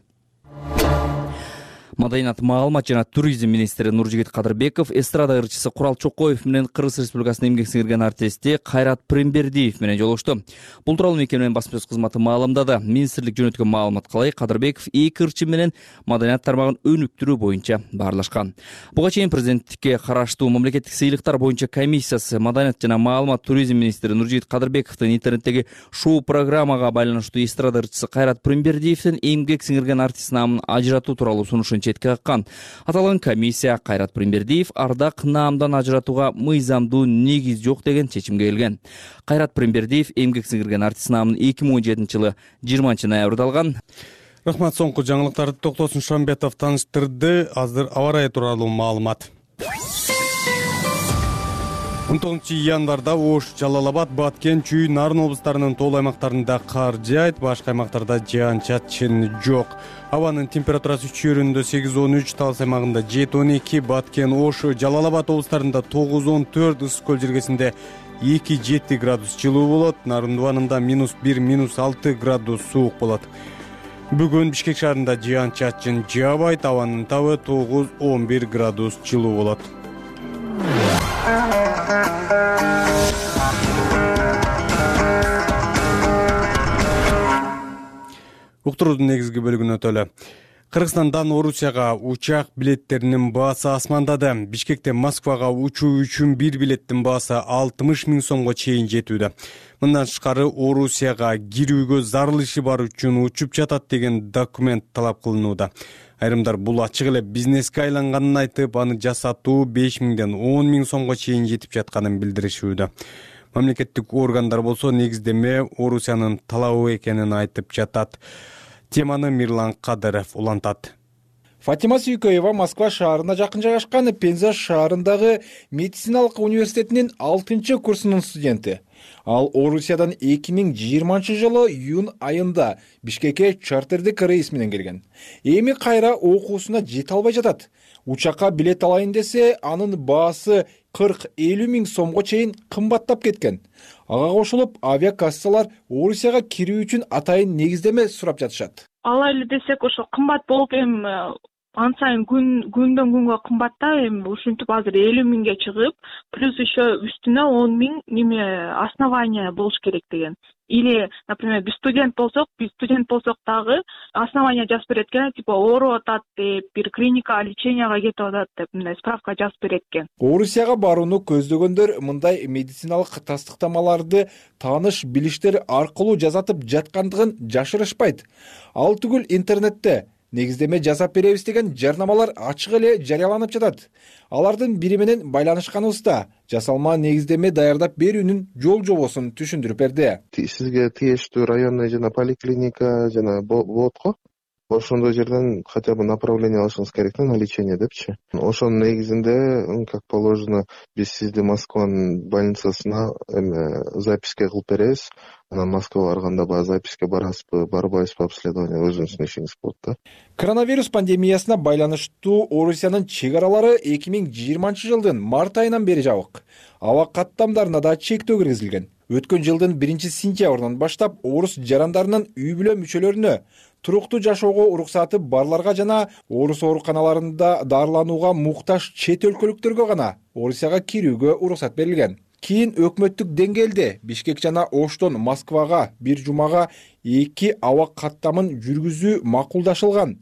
Маданият, маалымат жана туризм министри Нуржигит Кадырбеков эстрада ырчысы Курал Чокоев менен Кыргыз Республикасынын эмгек сиңирген артисти Кайрат Прембердиев менен жолугушту. Бул тууралуу мекеменин басма сөз кызматы маалымдады. Министрлик жөнөткөн маалыматка ылайык Кадырбеков эки ырчы менен маданият тармагын өнүктүрүү боюнча баарлашкан. Буга чейин президенттикке караштуу мамлекеттик сыйлыктар боюнча комиссиясы маданият жана маалымат туризм министри Нуржигит Кадырбековдун интернеттеги шоу программага байланыштуу эстрада ырчысы Кайрат Прембердиевдин эмгек сиңирген артист намын ажыратуу тууралуу сунушун четке каккан. Аталган комиссия Кайрат Прембердиев ардак наамдан ажыратууга мыйзамдуу негиз жок деген чечимге келген. Кайрат Прембердиев эмгек сиңирген артист намын 2017 жылы 20 ноябрда алган. Рахмат, соңку жаңылыктарды Токтосун Шамбетов тааныштырды. Азыр аба ырайы тууралуу маалымат. 19 январда Ош, Жалал-Абад, Баткен, Чүй, Нарын облустарынын тоол аймактарында кар жаайт, башка аймактарда жаан-чачын жок. Абанын температурасы Чүйрүндө 8-13, Талас аймагында 7-12, Баткен, Ош, Жалал-Абад облустарында 9-14, Ысык көл жергесинде 2-7 градус жылуу болот, Нарын дубанында -1, -6 градус суук болот. Бүгүн Бишкек шаарында жаан-чачын жаабайт, абанын табы 9-11 градус жылуу болот. Уктуруудун негизги бөлүгүнө өтөлү. Кыргызстандан Орусияга учак билеттеринин баасы асмандады. Бишкектен Москвага учуу үчүн бир билеттин баасы 60 миң сомго чейин жетүүдө. Мындан тышкары Орусияга кирүүгө зарылышы бар үчүн учуп жатат деген документ талап кылынууда. Айрымдар бул ачык эле бизнеске айланганын айтып, аны жасатуу 5 миңден 10 миң сомго чейин жетип жатканын билдиришүүдө. Мамлекеттик органдар болсо негиздеме Орусиянын талабы экенин айтып жатат. Теманы Мирлан Кадыров улантат. Фатима Сүйкөева Москва шаарына жакын жайгашкан Пенза шаарындагы медициналык университетинин 6-курсунун студенти. Ал Орусиядан 2020 жылы июнь айында Бишкекке чартердик рейс менен келген. Эми кайра окуусуна жете албай жатат. Учакка билет алайын десе, анын баасы 40-50 миң сомго чейин кымбаттап кеткен. Ага кошулуп, авиакассалар Орусияга кирүү үчүн атайын негиздеме сурап жатышат. Алай эле десек, ошо кымбат болуп ан сайын күндөн күнгө кымбатта, ушинтип азыр 50 миңге чыгып, плюс еще үстүнө 10 миң основания болуш керек деген. Или, например, биз студент болсок дагы основания жазып берет экен, типа ооруп атат деп, бир клиника леченияга кетип атат деп, мындай справка жазып берет экен. Орусияга барууну көздөгөндөр мындай медициналык тастыктамаларды тааныш билиштер аркылуу жасатып жаткандыгын жашырышпайт. Ал түгүл интернетте негиздеме жасап беребиз деген жарнамалар ачык эле жарыяланып жатат. Алардын бири менен байланышканыбызда жасалма негиздеме даярдап берүүнүн жол жобосун түшүндүрүп берди. Сизге тиештүү районный жана поликлиника жана болот го. Ошондой жерден хотя бы направление алышыңыз керек на лечение депчи. Ошонун негизинде, как положено, биз сизди Москванын больницасына записке кылып беребиз. Анан Москвага барганда баягы записке барасызбы, барбайсызбы, обследование өзүңүздүн ишиңиз болот да. Коронавирус пандемиясына байланыштуу Орусиянын чек аралары 2020-жылдын март айынан бери жабык. Аба каттамдарына да чектөө киргизилген. Өткөн жылдын 1-сентябрынан баштап орус жарандарынын үй бүлө мүчөлөрүнө туруктуу жашоого уруксаты барларга жана орус ооруканаларында дарыланууга муктаж чет өлкөлүктөргө гана Орусияга кирүүгө уруксат берилген. Кийин өкмөттүк деңгээлде Бишкек жана Оштон Москвага бир жумага 2 аба каттамын жүргүзүү макулдашылган.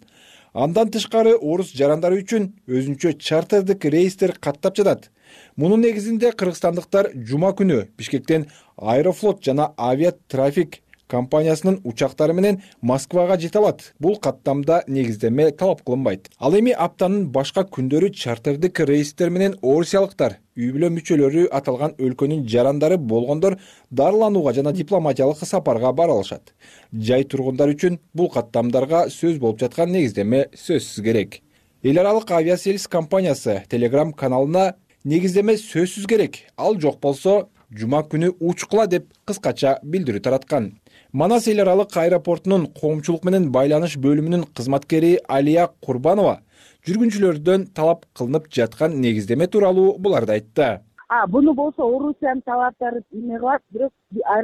Андан тышкары орус жарандары үчүн өзүнчө чартердик рейстер каттап жатат. Мунун негизинде кыргызстандыктар жума күнү Бишкектен Аэрофлот жана Авиатрафик компаниясынын учактары менен Москвага жете алат. Бул каттамда негиздеме талап кылынбайт. Ал эми аптанын башка күндөрү чартердик рейстер менен орусиялыктар үй бүлө мүчөлөрү аталган өлкөнүн жарандары болгондор дарыланууга жана дипломатиялык сапарга бара алышат. Жай тургундар үчүн бул каттамдарга сөз болуп жаткан негиздеме сөзсүз керек. Эл аралык авиасервис компаниясы Telegram каналына негиздеме сөзсүз керек, ал жок болсо жума күнү учкула деп кыскача билдирүү тараткан. Манас эл аралык аэропортунун коомчулук менен байланыш бөлүмүнүн кызматкери Алия Курбанова жүргүнчүлөрдөн талап кылынып жаткан негиздеме тууралуу буларды айтты. Буну болсо Орусиянын талаптары эме кылат, бирок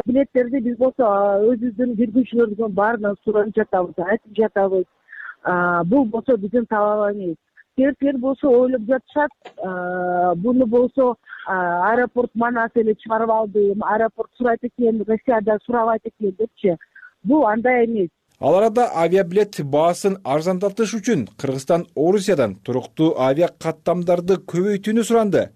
билеттерди биз болсо өзүбүздүн жүргүнчүлөрдүн баарынан сурап жатабыз, айтып жатабыз. Бул болсо биздин талап эмес. Кээ болсо ойлоп жатышат, буну болсо аэропорт Манас эле чыгарып алды, аэропорт сурайт экен, Россияда сурабайт экен депчи. Бул андай эмес. Ал арада авиабилет баасын арзандатыш үчүн Кыргызстан Орусиядан туруктуу авиа каттамдарды көбөйтүүнү суранды.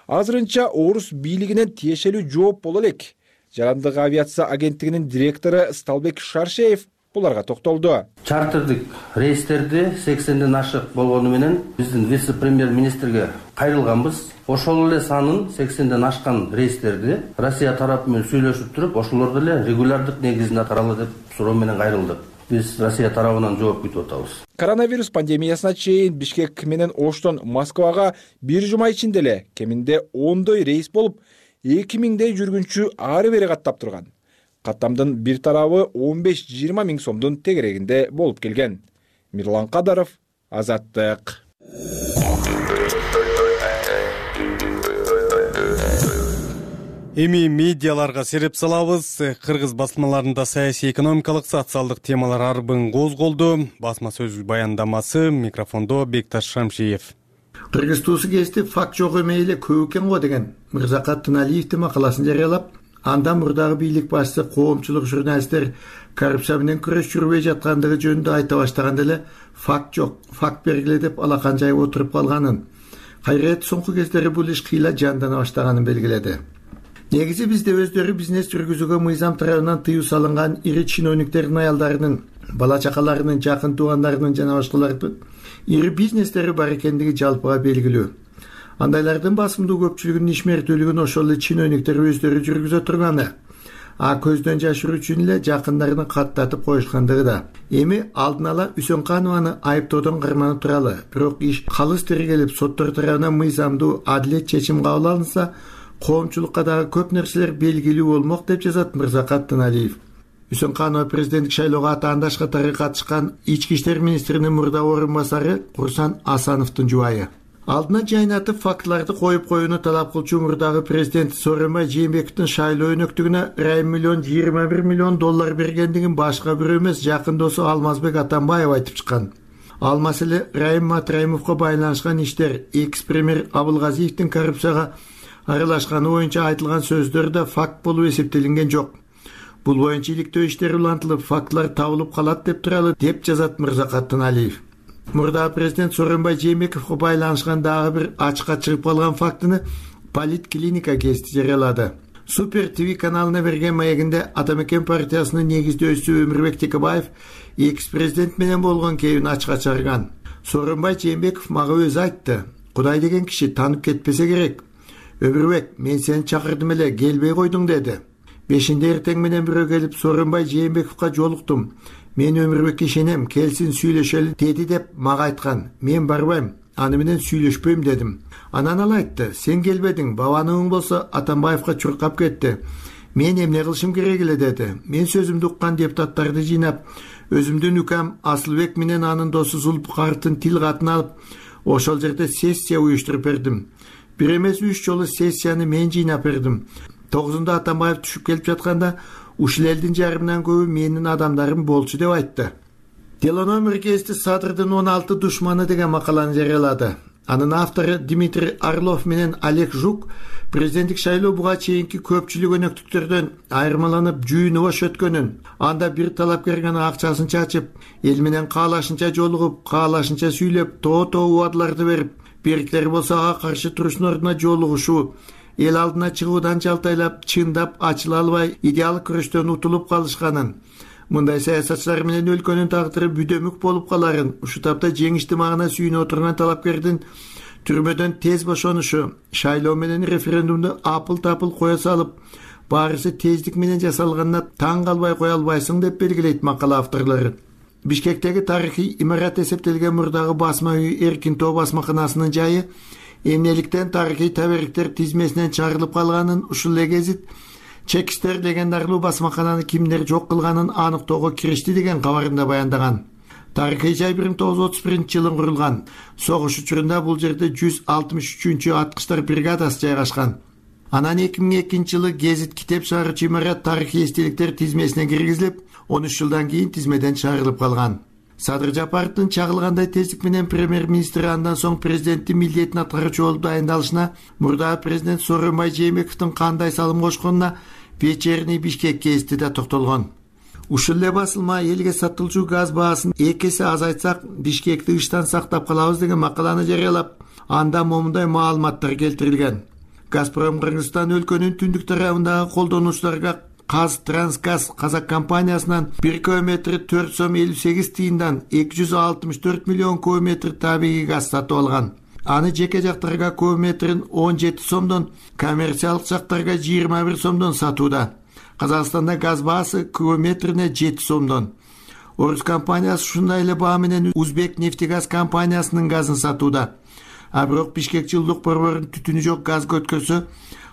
Азырынча орус бийлигинен тиешелүү жооп боло элек. Жарандык авиация агенттигинин директору Сталбек Шаршеев буларга токтолду. Чартердик рейстерди 80ден ашык болгону менен биздин вице-премьер-министрге кайрылганбыз. Ошол эле санын 80ден ашкан рейстерди Россия тарапы менен сүйлөшүп туруп, ошолорду эле регулярдык негизинде атаралы деп суроо менен кайрылдык. Биз Россия тарабынан жооп күтүп атабыз. Коронавирус пандемиясына чейин Бишкек менен Оштон Москвага бир жума ичинде эле кеминде 10 рейс болуп, 2000 жүргүнчү ары бери каттап турган. Каттамдын бир тарабы 15-20 миң сомдун тегерегинде болуп келген. Мирлан Кадаров, Азаттык. Эми медиаларга сереп салабыз. Кыргыз басмаларында саясий экономикалык социалдык темалар арбын козголду. Басма сөз баяндамасы, микрофондо Бекташ Шамшиев. Кыргыз туусу кезде факт жок эмей эле көп экен го деген Мырзакат Тыналиевдин макаласын жарыялап, андан мурдагы бийлик башчысы коомчулук журналисттер коррупция менен күрөш жүрбөй жаткандыгы жөнүндө айта баштаганда эле факт жок, факт бергиле деп алакан жайып отуруп калганын, кайрет соңку кездери бул иш кыйла жандана баштаганын белгиледи. Негизи бизде өздөрү бизнес жүргүзүүгө мыйзам тарабынан тыюу салынган ири чиновниктердин аялдарынын, бала чакаларынын, жакын туугандарынын жана башкалардын ири бизнестери бар экендиги жалпыга белгилүү. Андайлардын басымдуу көпчүлүгүнүн ишмердүүлүгүн ошол эле чиновниктер өздөрү жүргүзө турганы, көздөн жашыруу үчүн эле жакындарын каттатып коюшкандыгы да. Эми алдын ала Үсөнканованы айыптоодон карманып туралы, бирок иш калыс тергелип соттор тарабынан мыйзамдуу адилет чечим кабыл алынса, коомчулукка дагы көп нерселер белгилүү болмок деп жазат Мырзакат Тыналиев. Үсөнканова президенттик шайлоого атаандаш катары катышкан ички иштер министринин мурдагы орун басары Курсан Асановдун жубайы. Алдына жайнатып фактыларды коюп коюуну талап кылчу мурдагы президент Сооронбай Жээнбековдун шайлоо өнөктүгүнө Райым миллион $21 миллион бергендигин башка бирөө эмес, жакын досу Алмазбек Атамбаев айтып чыккан. Ал маселе Райым Матраимовго байланышкан иштер, экс-премьер Абылгазиевдин коррупцияга аралашканы боюнча айтылган сөздөр да факт болуп эсептелинген жок. Бул боюнча иликтөө иштери улантылып, фактылар табылып калат деп туралы деп жазат Мырзакат Тыналиев. Мурдагы президент Сооронбай Жээнбековго байланышкан дагы бир ачыкка чыгып калган фактыны Политклиника гезити жарыялады. Супер ТВ каналына берген маегинде Атамекен партиясынын негиздөөчүсү Өмүрбек Текебаев экс-президент менен болгон кебин ачыкка чыгарган. Сооронбай Жээнбеков мага өзү айтты: "Кудай деген киши танып кетпесе керек. Өмүрбек, мен сени чакырдым эле, келбей койдуң" деди. 5-нде эртең менен бирөө келип Сооронбай Жээнбековго жолуктум. "Мен Өмүрбекке ишенем, келсин сүйлөшөлү" деди деп мага айткан. "Мен барбайм, аны менен сүйлөшпөйм" дедим. Анан ал айтты: "Сен келбедиң, бабаныңың болсо Атамбаевка чуркап кетти. Мен эмне кылышым керек эле" деди. Мен сөзүмдү уккан депутаттарды жыйнап, өзүмдүн укам Асылбек менен анын досу Зулпукаровдун тил катын алып, ошол жерде сессия уюштуруп бердим. Бир эмес 3 жолу сессияны мен жыйнап бердим. 9-нда Атамбаев түшүп келип жатканда ушул элдин жарымынан көбү менин адамдарым болчу деп айтты. Телономер гезити Садырдын 16 душманы деген макаланы жарыялады. Анын автору Дмитрий Орлов менен Олег Жук президенттик шайлоо буга чейинки көпчүлүк өнөктүктөрдөн айырмаланып жүйүнү бош өткөнүн, анда бир талапкер гана акчасын чачып, эл менен каалашынча жолугуп, каалашынча сүйлөп, тоо убадаларды берип, бериктери болсо ага каршы туруштун ордуна жолугушуу, эл алдына чыгуудан жалтайлап, чындап ачыла албай, идеалдык күрөштөн утулуп калышканын, мындай саясатчылар менен өлкөнүн тагдыры бүдөмүк болуп каларын, ушул тапта жеңиштүү магына сүйүнө отурган талапкердин түрмөдөн тез бошонушу, шайлоо менен референдумду апыл-тапыл кое салып, баарысы тездик менен жасалганына таң калбай кое албайсың деп белгилейт макала авторлору. Бишкектеги тарыхый имарат эсептелген мурдагы басма үй Эркин Тоо басмаканасынын жайы эмнеликтен тарыхый табериктер тизмесинен чыгарылып калганын ушул эле гезит Чекистер легендарлуу басмакананы кимдер жок кылганын аныктоого киришти деген кабарында баяндаган. Тарыхый жай 1931-жылы курулган. Согуш учурунда бул жерде 163-чү аткычтар бригадасы жайгашкан. Анан 2002-жылы гезит китеп чыгаруучу имарат тарыхый эстеликтер тизмесине киргизилип, 13 жылдан кийин тизмеден чыгарылып калган. Садыр Жапаровдун чагылгандай тездик менен премьер-министр андан соң президенттин милдетин аткаруучу болуп дайындалышына, мурдагы президент Сооронбай Жээнбековдун кандай салым кошконуна Вечерний Бишкек гезити да токтолгон. Ушул эле басылма элге сатылчу газ баасын 2 эсе азайтсак, Бишкекти ыштан сактап калабыз деген макаланы жарыялап, анда момундай маалыматтар келтирилген. Газпром Кыргызстан өлкөнүн түндүк тарабындагы колдонуучуларга Казтрансгаз Казак компаниясынан 1 кубометри 4 сом 58 тыйындан 264 миллион кубометр табигый газ сатып алган. Аны жеке жактарга кубометрин 17 сомдон, коммерциялык жактарга 21 сомдон сатууда. Казакстанда газ баасы кубометрине 7 сомдон. Орус компаниясы ушундай эле баа менен Узбек нефтегаз компаниясынын газын сатууда. А бирок Бишкек жылуулук борборунун түтүнү жок газга өткөрсө,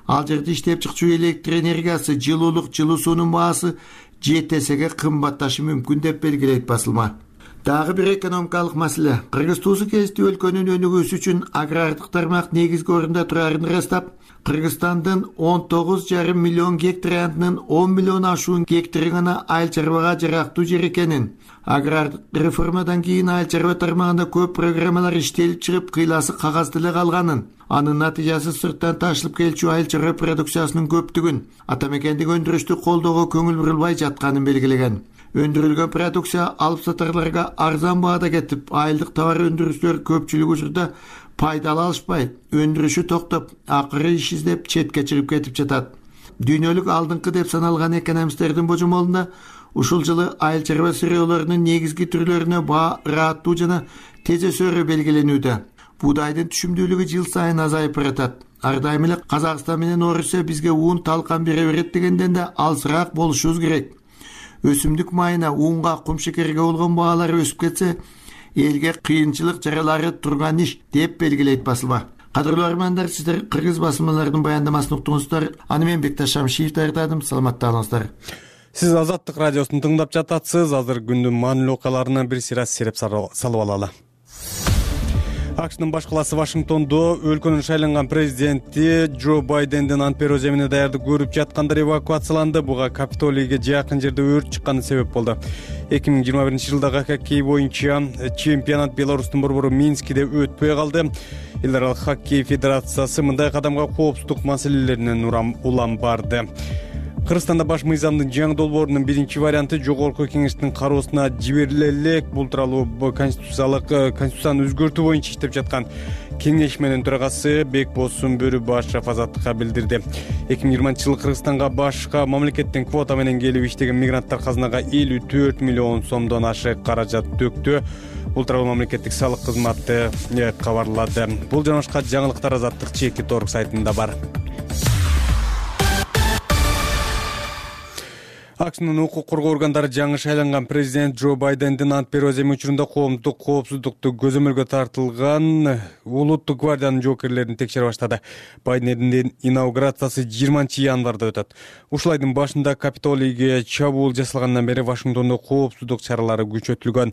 ал жерде иштеп чыкчу электр энергиясы, жылуулук, жылуу суунун баасы 7 эсеге кымбатташы мүмкүн деп белгилейт басылма. Дагы бир экономикалык маселе. Кыргыз туусу гезити өлкөнүн өнүгүүсү үчүн агрардык тармак негизги орунда турарын ырастап, Кыргызстандын 19,5 миллион гектарынын 10 миллион ашуун гектары гана айыл чарбага жарактуу жер экенин, агрардык реформадан кийин айыл чарба тармагында көп программалар иштелип чыгып, кыйласы кагазда эле калганын, анын натыйжасы сырттан ташылып келчү айыл чарба продукциясынын көптүгүн, атамекендик өндүрүштү колдоого көңүл бурулбай жатканын белгилеген. Өндүрүлгөн продукция алып сатарларга арзан баада кетип, айылдык товар өндүрүүчүлөр көпчүлүк учурда пайдалы алышпай, өндүрүшү токтоп, акыры иш издеп четке чыгып кетип жатат. Дүйнөлүк алдыңкы деп саналган экономисттердин божомолунда ушул жылы айыл чарба сырыолорунун негизги түрлөрүнө баа ыраттуу жана тез өсөөрү белгиленүүдө. Буудайдын түшүмдүүлүгү жыл сайын азайып баратат. Ар дайым эле Казакстан менен Орусия бизге уун талкан бере берет дегенден да алысыраак болушубуз керек. Өсүмдүк майына, уунга, кумшекерге болгон баалар өсүп кетсе, элге кыйынчылык жаралары турган иш деп белгилейт басылма. Кадырлуу армандар, сиздер кыргыз басылмаларынын баяндамасын уктуңуздар. Аны мен Бекташ Шамшиев даярдадым. Саламатта болуңуздар. Сиз Азаттык радиосун тыңдап жатасыз. Азыр күндүн маанилүү окуяларынан бир сыйра сереп салып алалы. АКШнын баш калаасы Вашингтондо өлкөнүн шайланган президенти Джо Байдендин Ант берүү земине даярдык көрүп жаткандар эвакуацияланды. Буга Капитолийге жакын жерде өрт чыкканы себеп болду. 2021-жылдагы хоккей боюнча чемпионат Беларустун борбору Минскиде өтпөй калды. Эл аралык хоккей федерациясы мындай кадамга коопсуздук маселелеринен улам барды. Кыргызстанда баш мыйзамдын жаңы долбоорунун биринчи варианты жогорку кеңештин кароосуна жибериле элек. Бул тууралуу конституцияны өзгөртүү боюнча иштеп жаткан кеңешменин төрагасы Бекбол Бөрүбашев Азаттыкка билдирди. 2020-жылы Кыргызстанга башка мамлекеттин квота менен келип иштеген мигранттар казынага 54 миллион сомдон ашык каражат төктү. Бул тууралуу мамлекеттик салык кызматы кабарлады. Бул жана башка жаңылыктар Азаттык Чеки.org сайтында бар. АКШнын укук коргоо органдары жаңы шайланган президент Джо Байдендин ант берүү аземи учурунда коомдук коопсуздукту көзөмөлгө тартылган улуттук гвардиянын жоокерлерин текшере баштады. Байдендин инаугурациясы 20-январда өтөт. Ушул айдын башында Капитолийге чабуул жасалгандан бери Вашингтондо коопсуздук чаралары күчөтүлгөн.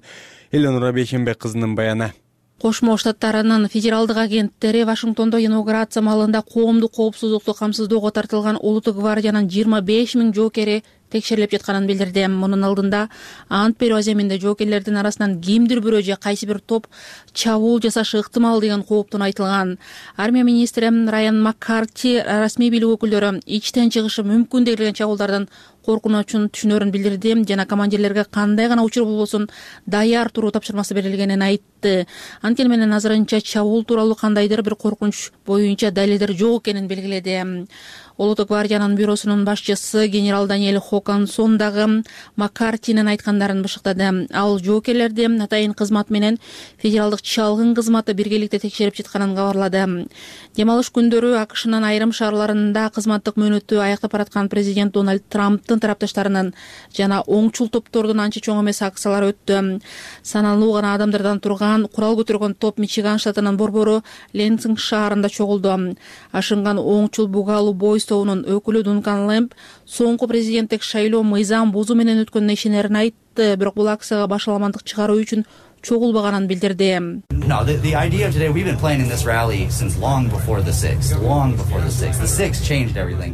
Эленора Бейшенбек кызынын баяны. Кошмо Штаттарынын федералдык агенттери Вашингтондо инаугурация маалында коомдук коопсуздукту камсыздоого тартылган улуттук гвардиянын 25 000 жоокери текшерилип жатканын билдирди. Мунун алдында ант берүү аземинде жоокерлердин арасынан кимдир бирөө же кайсы бир топ чабуул жасашы ыктымал деген кооптун айтылган. Армия министри Райан Маккарти расмий бийлик өкүлдөрү ичтен чыгышы мүмкүн деген чабуулдардан коркунучун түшүнөрүн билдирди жана командирлерге кандай гана учур болбосун даяр туруу тапшырмасы берилгенин айтты. Анткени менен азырынча чабуул тууралуу кандайдыр бир коркунуч боюнча далилдер жок экенин белгиледи. Улуттук гвардиянын бюросунун башчысы генерал Даниэль Хокансон дагы Маккартинин айткандарын бышыктады. Ал жоокерлерди атайын кызмат менен федералдык чалгын кызматы биргеликте текшерип жатканын кабарлады. Дем алыш күндөрү АКШнын айрым шаарларында кызматтык мөөнөтү аяктап бараткан президент Дональд Трамптын тарапташтарынын жана оңчул топтордун анча чоң эмес акциялары өттү. Саналуу гана адамдардан турган курал көтөргөн топ Мичиган штатынын борбору Ленсинг шаарында чогулду. Ашынган оңчул бугалуу бой тобунун өкүлү Дункан Лэмп соңку президенттик шайлоо мыйзам бузуу менен өткөнүнө ишенерин айтты, бирок бул акцияга башаламандык чыгаруу үчүн чогулбаганын билдирди.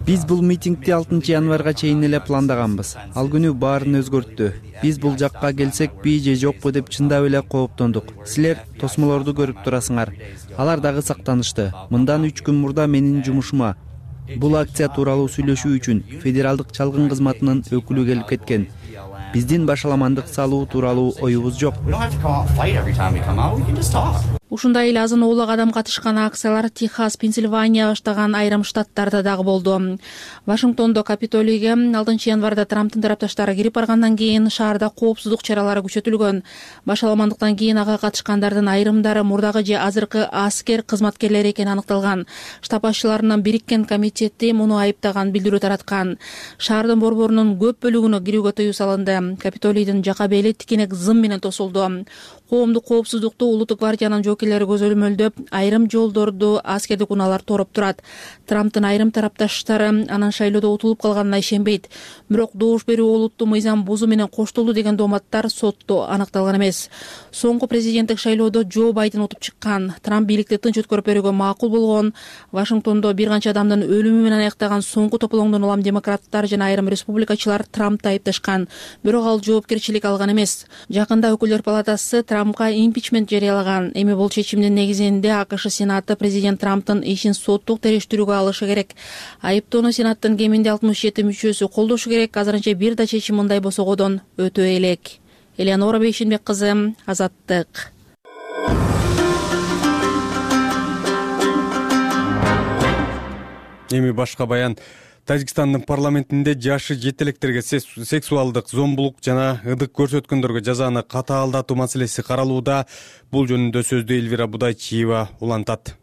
Биз бул митингди 6-январга чейин эле пландаганбыз. Ал күнү баарын өзгөрттү. Биз бул жакка келсекпи же жокпу деп чындап эле кооптондук. Силер тосмолорду көрүп турасыңар. Алар дагы сактанышты. Мындан 3 күн мурда менин жумушума бул акция тууралуу сүйлөшүү үчүн федералдык чалгын кызматынын өкүлү келип кеткен. Биздин башаламандык салуу тууралуу оюбуз жок. Ушундай эле азын оолак адам катышкан акциялар Техас, Пенсильвания баштаган айрым штаттарда дагы болду. Вашингтондо Капитолийге 6-январда Трамптын тарапташтары кирип баргандан кийин шаарда коопсуздук чаралары күчөтүлгөн. Башаламандыктан кийин ага катышкандардын айрымдары мурдагы же азыркы аскер кызматкерлери экени аныкталган. Штаб башчыларынын бириккен комитети муну айыптаган билдирүү тараткан. Шаардын борборунун көп бөлүгүнө кирүүгө тыюу салынды. Капитолийдин жака бели тикенек зым менен тосулду. Коомдук коопсуздукту улуттук гвардиянын жоокерлери көзөмөлдөп, айрым жолдорду аскердик унаалар тороп турат. Трамптын айрым тарапташтары анын шайлоодо утулуп калганына ишенбейт. Бирок добуш берүү олуттуу мыйзам бузуу менен коштолду деген дооматтар сотто аныкталган эмес. Соңку президенттик шайлоодо Джо Байден утуп чыккан. Трамп бийликти тынч өткөрүп берүүгө макул болгон. Вашингтондо бир канча адамдын өлүмү менен аяктаган соңку тополоңдон улам демократтар жана айрым республикачылар Трампты айыпташкан. Бирок ал жоопкерчилик алган эмес. Жакында өкүлдөр палатасы Трампка импичмент жарыялаган. Эми бул чечимдин негизинде АКШ Сенаты президент Трамптын ишин соттук териштирүүгө алышы керек. Айыптоону Сенаттын кеминде 67 мүчөсү колдошу керек. Азырынча бир да чечим мындай босогодон өтө элек. Эленора Бейшенбек кызы, Азаттык. Эми башка баян. Тажикстандын парламентинде жашы жетелектерге сексуалдык зомбулук жана ыдык көрсөткөндөргө жазаны катаалдатуу маселеси каралууда. Бул жөнүндө сөздү Элвира Будайчиева улантат.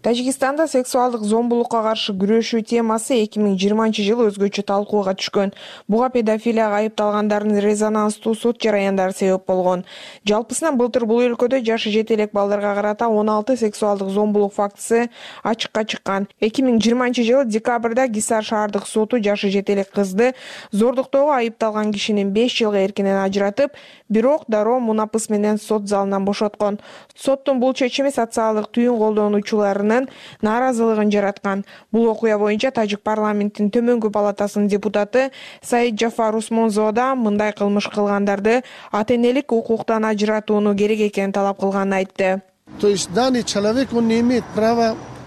Тажикстанда сексуалдык зомбулукка каршы күрөшүү темасы 2020-жылы өзгөчө талкууга түшкөн. Буга педофилияга айыпталгандардын резонанстуу сот жараяндары себеп болгон. Жалпысынан былтыр бул өлкөдө жашы жетелек балдарга карата 16 сексуалдык зомбулук фактысы ачыкка чыккан. 2020-жылы декабрда Гисар шаардык соту жашы жетелек кызды зордуктоого айыпталган кишинин 5 жылга эркинен ажыратып, бирок дароо мунапыс менен сот залынан бошоткон. Соттун бул чечими социалдык түйүн колдонуучуларынын нааразылыгын жараткан. Бул окуя боюнча Тажик парламенттин төмөнкү палатасынын депутаты Саид Джафар Усмонзо да мындай кылмыш кылгандарды ата-энелик укуктан ажыратууну керек экенин талап кылганын айтты.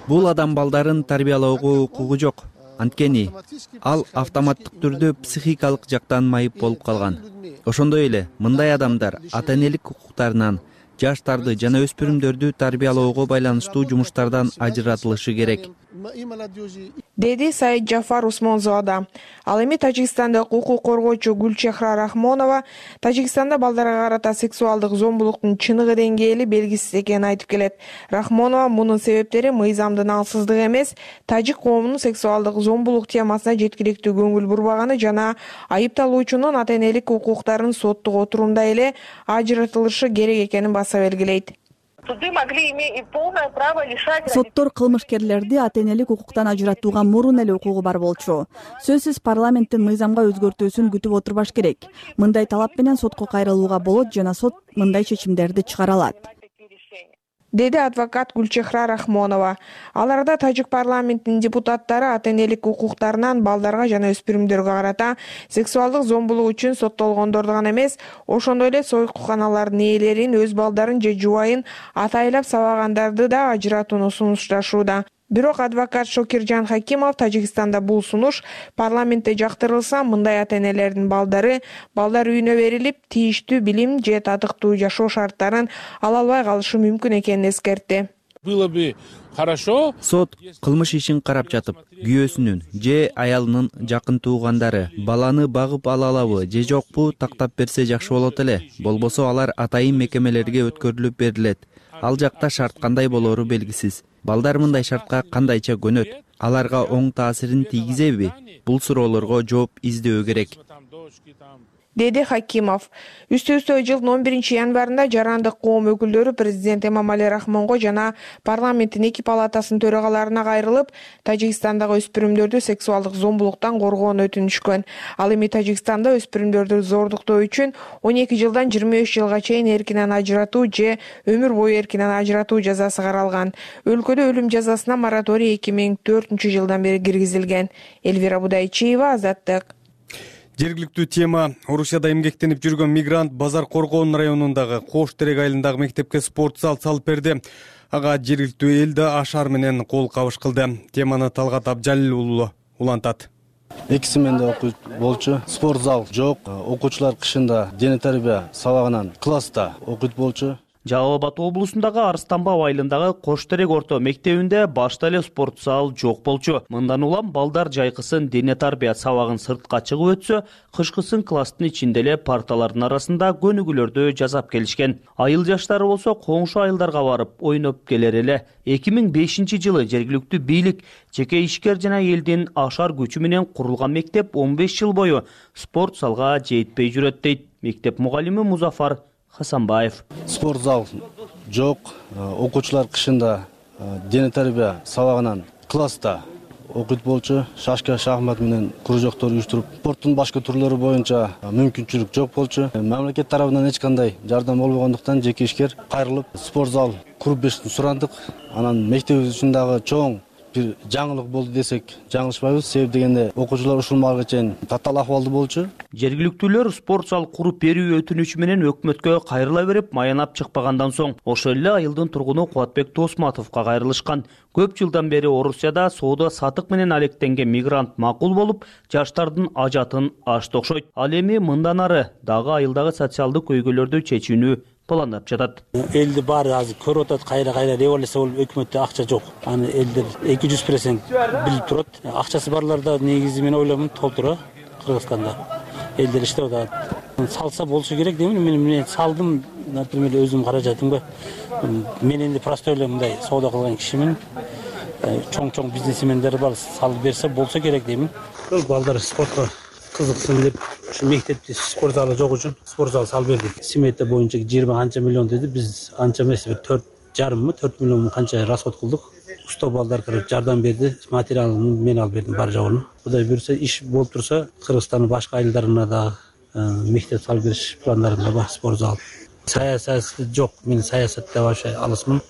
Бул адам балдарын тарбиялоого укугу жок. Анткени ал автоматтык түрдө психикалык жактан майып болуп калган. Ошондой эле мындай адамдар ата-энелик укуктарынан, жаштарды жана өспүрүмдөрдү тарбиялоого байланыштуу жумуштардан ажыратылышы керек, деди Саид Жафар Усмонзода. Ал эми Тажикстандык укук коргоочу Гүлчехра Рахмонова Тажикстанда балдарга карата сексуалдык зомбулуктун чыныгы деңгээли белгисиз экенин айтып келет. Рахмонова мунун себептери мыйзамдын алсыздыгы эмес, тажик коомунун сексуалдык зомбулук темасына жеткиликтүү көңүл бурбаганы жана айыпталуучунун ата-энелик укуктарын соттук отурумда эле ажыратылышы керек экенин баса белгилейт. Соттор кылмышкерлерди ата-энелик укуктан ажыратууга мурун эле укугу бар болчу. Сөзсүз парламенттин мыйзамга өзгөртүүсүн күтүп отурбаш керек. Мындай талап менен сотко кайрылууга болот жана сот мындай чечимдерди чыгара алат, деди адвокат Гүлчехра Рахмонова. Ал арада тажик парламентинин депутаттары ата-энелик укуктарынан балдарга жана өспүрүмдөргө карата сексуалдык зомбулук үчүн соттолгондорду гана эмес, ошондой эле сойкуканалардын ээлерин, өз балдарын же жубайын атайлап сабагандарды да ажыратууну сунушташууда. Бирок адвокат Шокиржан Хакимов Тажикстанда бул сунуш парламентте жактырылса, мындай ата-энелердин балдар үйүнө берилип, тийиштүү билим же татыктуу жашоо шарттарын ала албай калышы мүмкүн экенин эскертти. Сот кылмыш ишин карап жатып, күйөөсүнүн же аялынын жакын туугандары баланы багып ала алабы же жокпу тактап берсе жакшы болот эле. Болбосо алар атайын мекемелерге өткөрүлүп берилет. Ал жакта шарт кандай болору белгисиз. Балдар мындай шартка кандайча көнөт? Аларга оң таасирин тийгизеби? Бул суроолорго жооп издөө керек, деди Хакимов. Үстө-үстө жылдын 11 январында жарандык коом өкүлдөрү президент Эмомали Рахмонго жана парламенттин эки палатасынын төрагаларына кайрылып, Тажикстандагы өспүрүмдөрдү сексуалдык зомбулуктан коргоону өтүнүшкөн. Ал эми Тажикстанда өспүрүмдөрдү зордуктоо үчүн 12 жылдан 23 жылга чейин эркинен ажыратуу же өмүр бою эркинен ажыратуу жазасы каралган. Өлкөдө өлүм жазасына мораторий 2004-жылдан бери киргизилген. Элвира Будайчиева, Азаттык. Жергиликтүү тема: Орусияда эмгектенип жүргөн мигрант Базар Коргон районундагы Кош Терек айылындагы мектепке спорт зал салып берди. Ага жергиликтүү эл да ашар менен кол кабыш кылды. Теманы Талгат Абжалил уулу улантат. 2 сменде окуйт болчу. Спорт зал жок. Окуучулар кышында дене тарбия сабагынан класста окуйт болчу. Жалал Абад облусундагы Арыстанбаб айылындагы Кош Терек орто мектебинде башта эле спорт зал жок болчу. Мындан улам балдар жайкысын дене тарбия сабагын сыртка чыгып өтсө, кышкысын класстын ичинде эле парталардын арасында көнүгүүлөрдү жасап келишкен. Айыл жаштары болсо коңшу айылдарга барып ойноп келер эле. 2005-жылы жергиликтүү бийлик, жеке ишкер жана элдин ашар күчү менен курулган мектеп 15 жыл бою спорт залга жетпей жүрөт дейт мектеп мугалими Музафар Хасанбаев. Спорт зал жок. Окуучулар кышында дене тарбия сабагынан класста окуйт болчу. Шашка, шахмат менен кружоктор уюштуруп, спорттун башка түрлөрү боюнча мүмкүнчүлүк жок болчу. Мамлекет тарабынан эч кандай жардам болбогондуктан жеке ишкер кайрылып спорт зал куруп беришин сурандык. Анан мектебибиз үчүн дагы чоң бир жаңылык болду десек жаңылышпайбыз. Себеп дегенде окуучулар ушул маалга чейин татаал акыбалда болчу. Жергиликтүүлөр спорт зал куруп берүү өтүнүчү менен өкмөткө кайрыла берип, маянап чыкпагандан соң ошол эле айылдын тургуну Кубатбек Тосматовго кайрылышкан. Көп жылдан бери Орусияда соода сатык менен алектенген мигрант макул болуп, жаштардын ажатын ашты окшойт. Ал эми мындан ары дагы айылдагы социалдык көйгөйлөрдү чечүүнү пландап жатат. Элди баары азыр көрүп атат, кайра революция болуп, өкмөттө акча жок. Аны элдер 200% билип турат. Акчасы барларда негизи мен ойлоймун толтура Кыргызстанда. Элдер иштеп атат. Салса болушу керек деймин. Мен салдым, например, өзүм каражатымга. Мен энди просто эле мындай соода кылган кишимин. Чоң бизнесмендер бар, салып берсе болсо керек деймин. Балдар спортко кызыксын деп ушу мектепте спорт залы жок үчүн спорт зал салып бердик. Смета боюнча 20 канча миллион деди. Биз анча эмес, 4,5 мы 4 миллион канча расход кылдык. Усто балдар кирип жардам берди. Материалын мен алып бердим бар жогун. Кудай буйрса иш болуп турса, Кыргызстандын башка айылдарына да мектеп салып бериш пландарында бар спорт зал. Саясат жок. Мен саясатта вообще алысмын.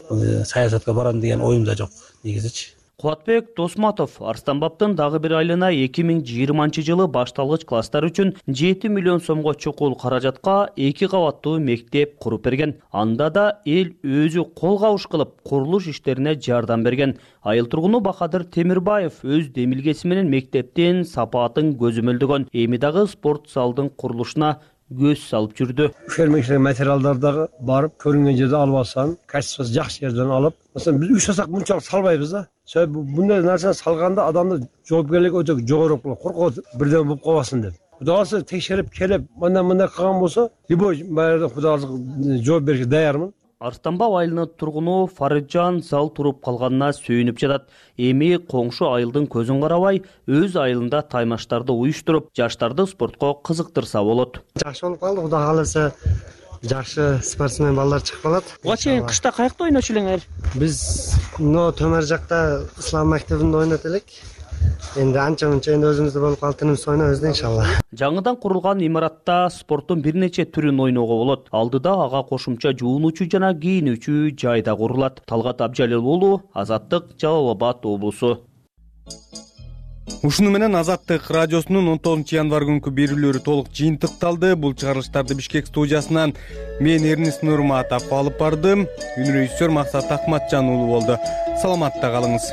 Саясатка барам деген оюм да жок негизичи. Кубатбек Досматов Арстанбаптын дагы бир айлына 2020 башталгыч класстар үчүн 7 миллион сомго чукул каражатка 2 кабаттуу мектеп куруп берген. Анда да эл өзү кол кабыш кылып курулуш иштерине жардам берген. Айыл тургуну Бахадыр Темирбаев өз демилгеси менен мектептин сапаатын көзөмөлдөгөн. Эми дагы спорт залдын курулушуна көз салып жүрдү. Фермер материалдарды барып көрүнгөн жерде алып алсаң, качествосы жакшы жерден алып, маселен биз 3 жасак мынчалык салбайбыз да. Себеби мындай нерсе салганда адамдын жоопкерлиги өтө жогору болот. Коркот бирден болуп калбасын деп. Кудай кааласа текшерип келип, мындай кылган болсо, любой баягы Кудай кааласа жооп беришке даярмын. Арстанбап айылынын тургуну Фарыджан зал туруп калганына сүйүнүп жатат. Эми коңшу айылдын көзүн карабай, өз айылында таймаштарды уюштуруп, жаштарды спортко кызыктырса болот. Жакшы болуп калды, Кудай кааласа жакшы спортсмен балдар чыгып калат. Буга чейин кышта каякта ойночу элеңер? Биз төмөр жакта ислам мектебинде ойнот элек. Энди анча-мынча өзүбүздө болуп калды, тынымсыз ойнойбуз иншалла. Жаңыдан курулган имаратта спорттун бир нече түрүн ойноого болот. Алдыда ага кошумча жуунуучу жана кийинүүчү жай да курулат. Талгат Абжалил уулу, Азаттык, Жалал Абад облусу. Ушуну менен Азаттык радиосунун 19 январь күнкү берүүлөрү толук жыйынтыкталды. Бул чыгарылыштарды Бишкек студиясынан мен Эрнис Нурматов алып бардым. Үнрежиссер Максат Акматжан уулу болду. Саламатта калыңыз.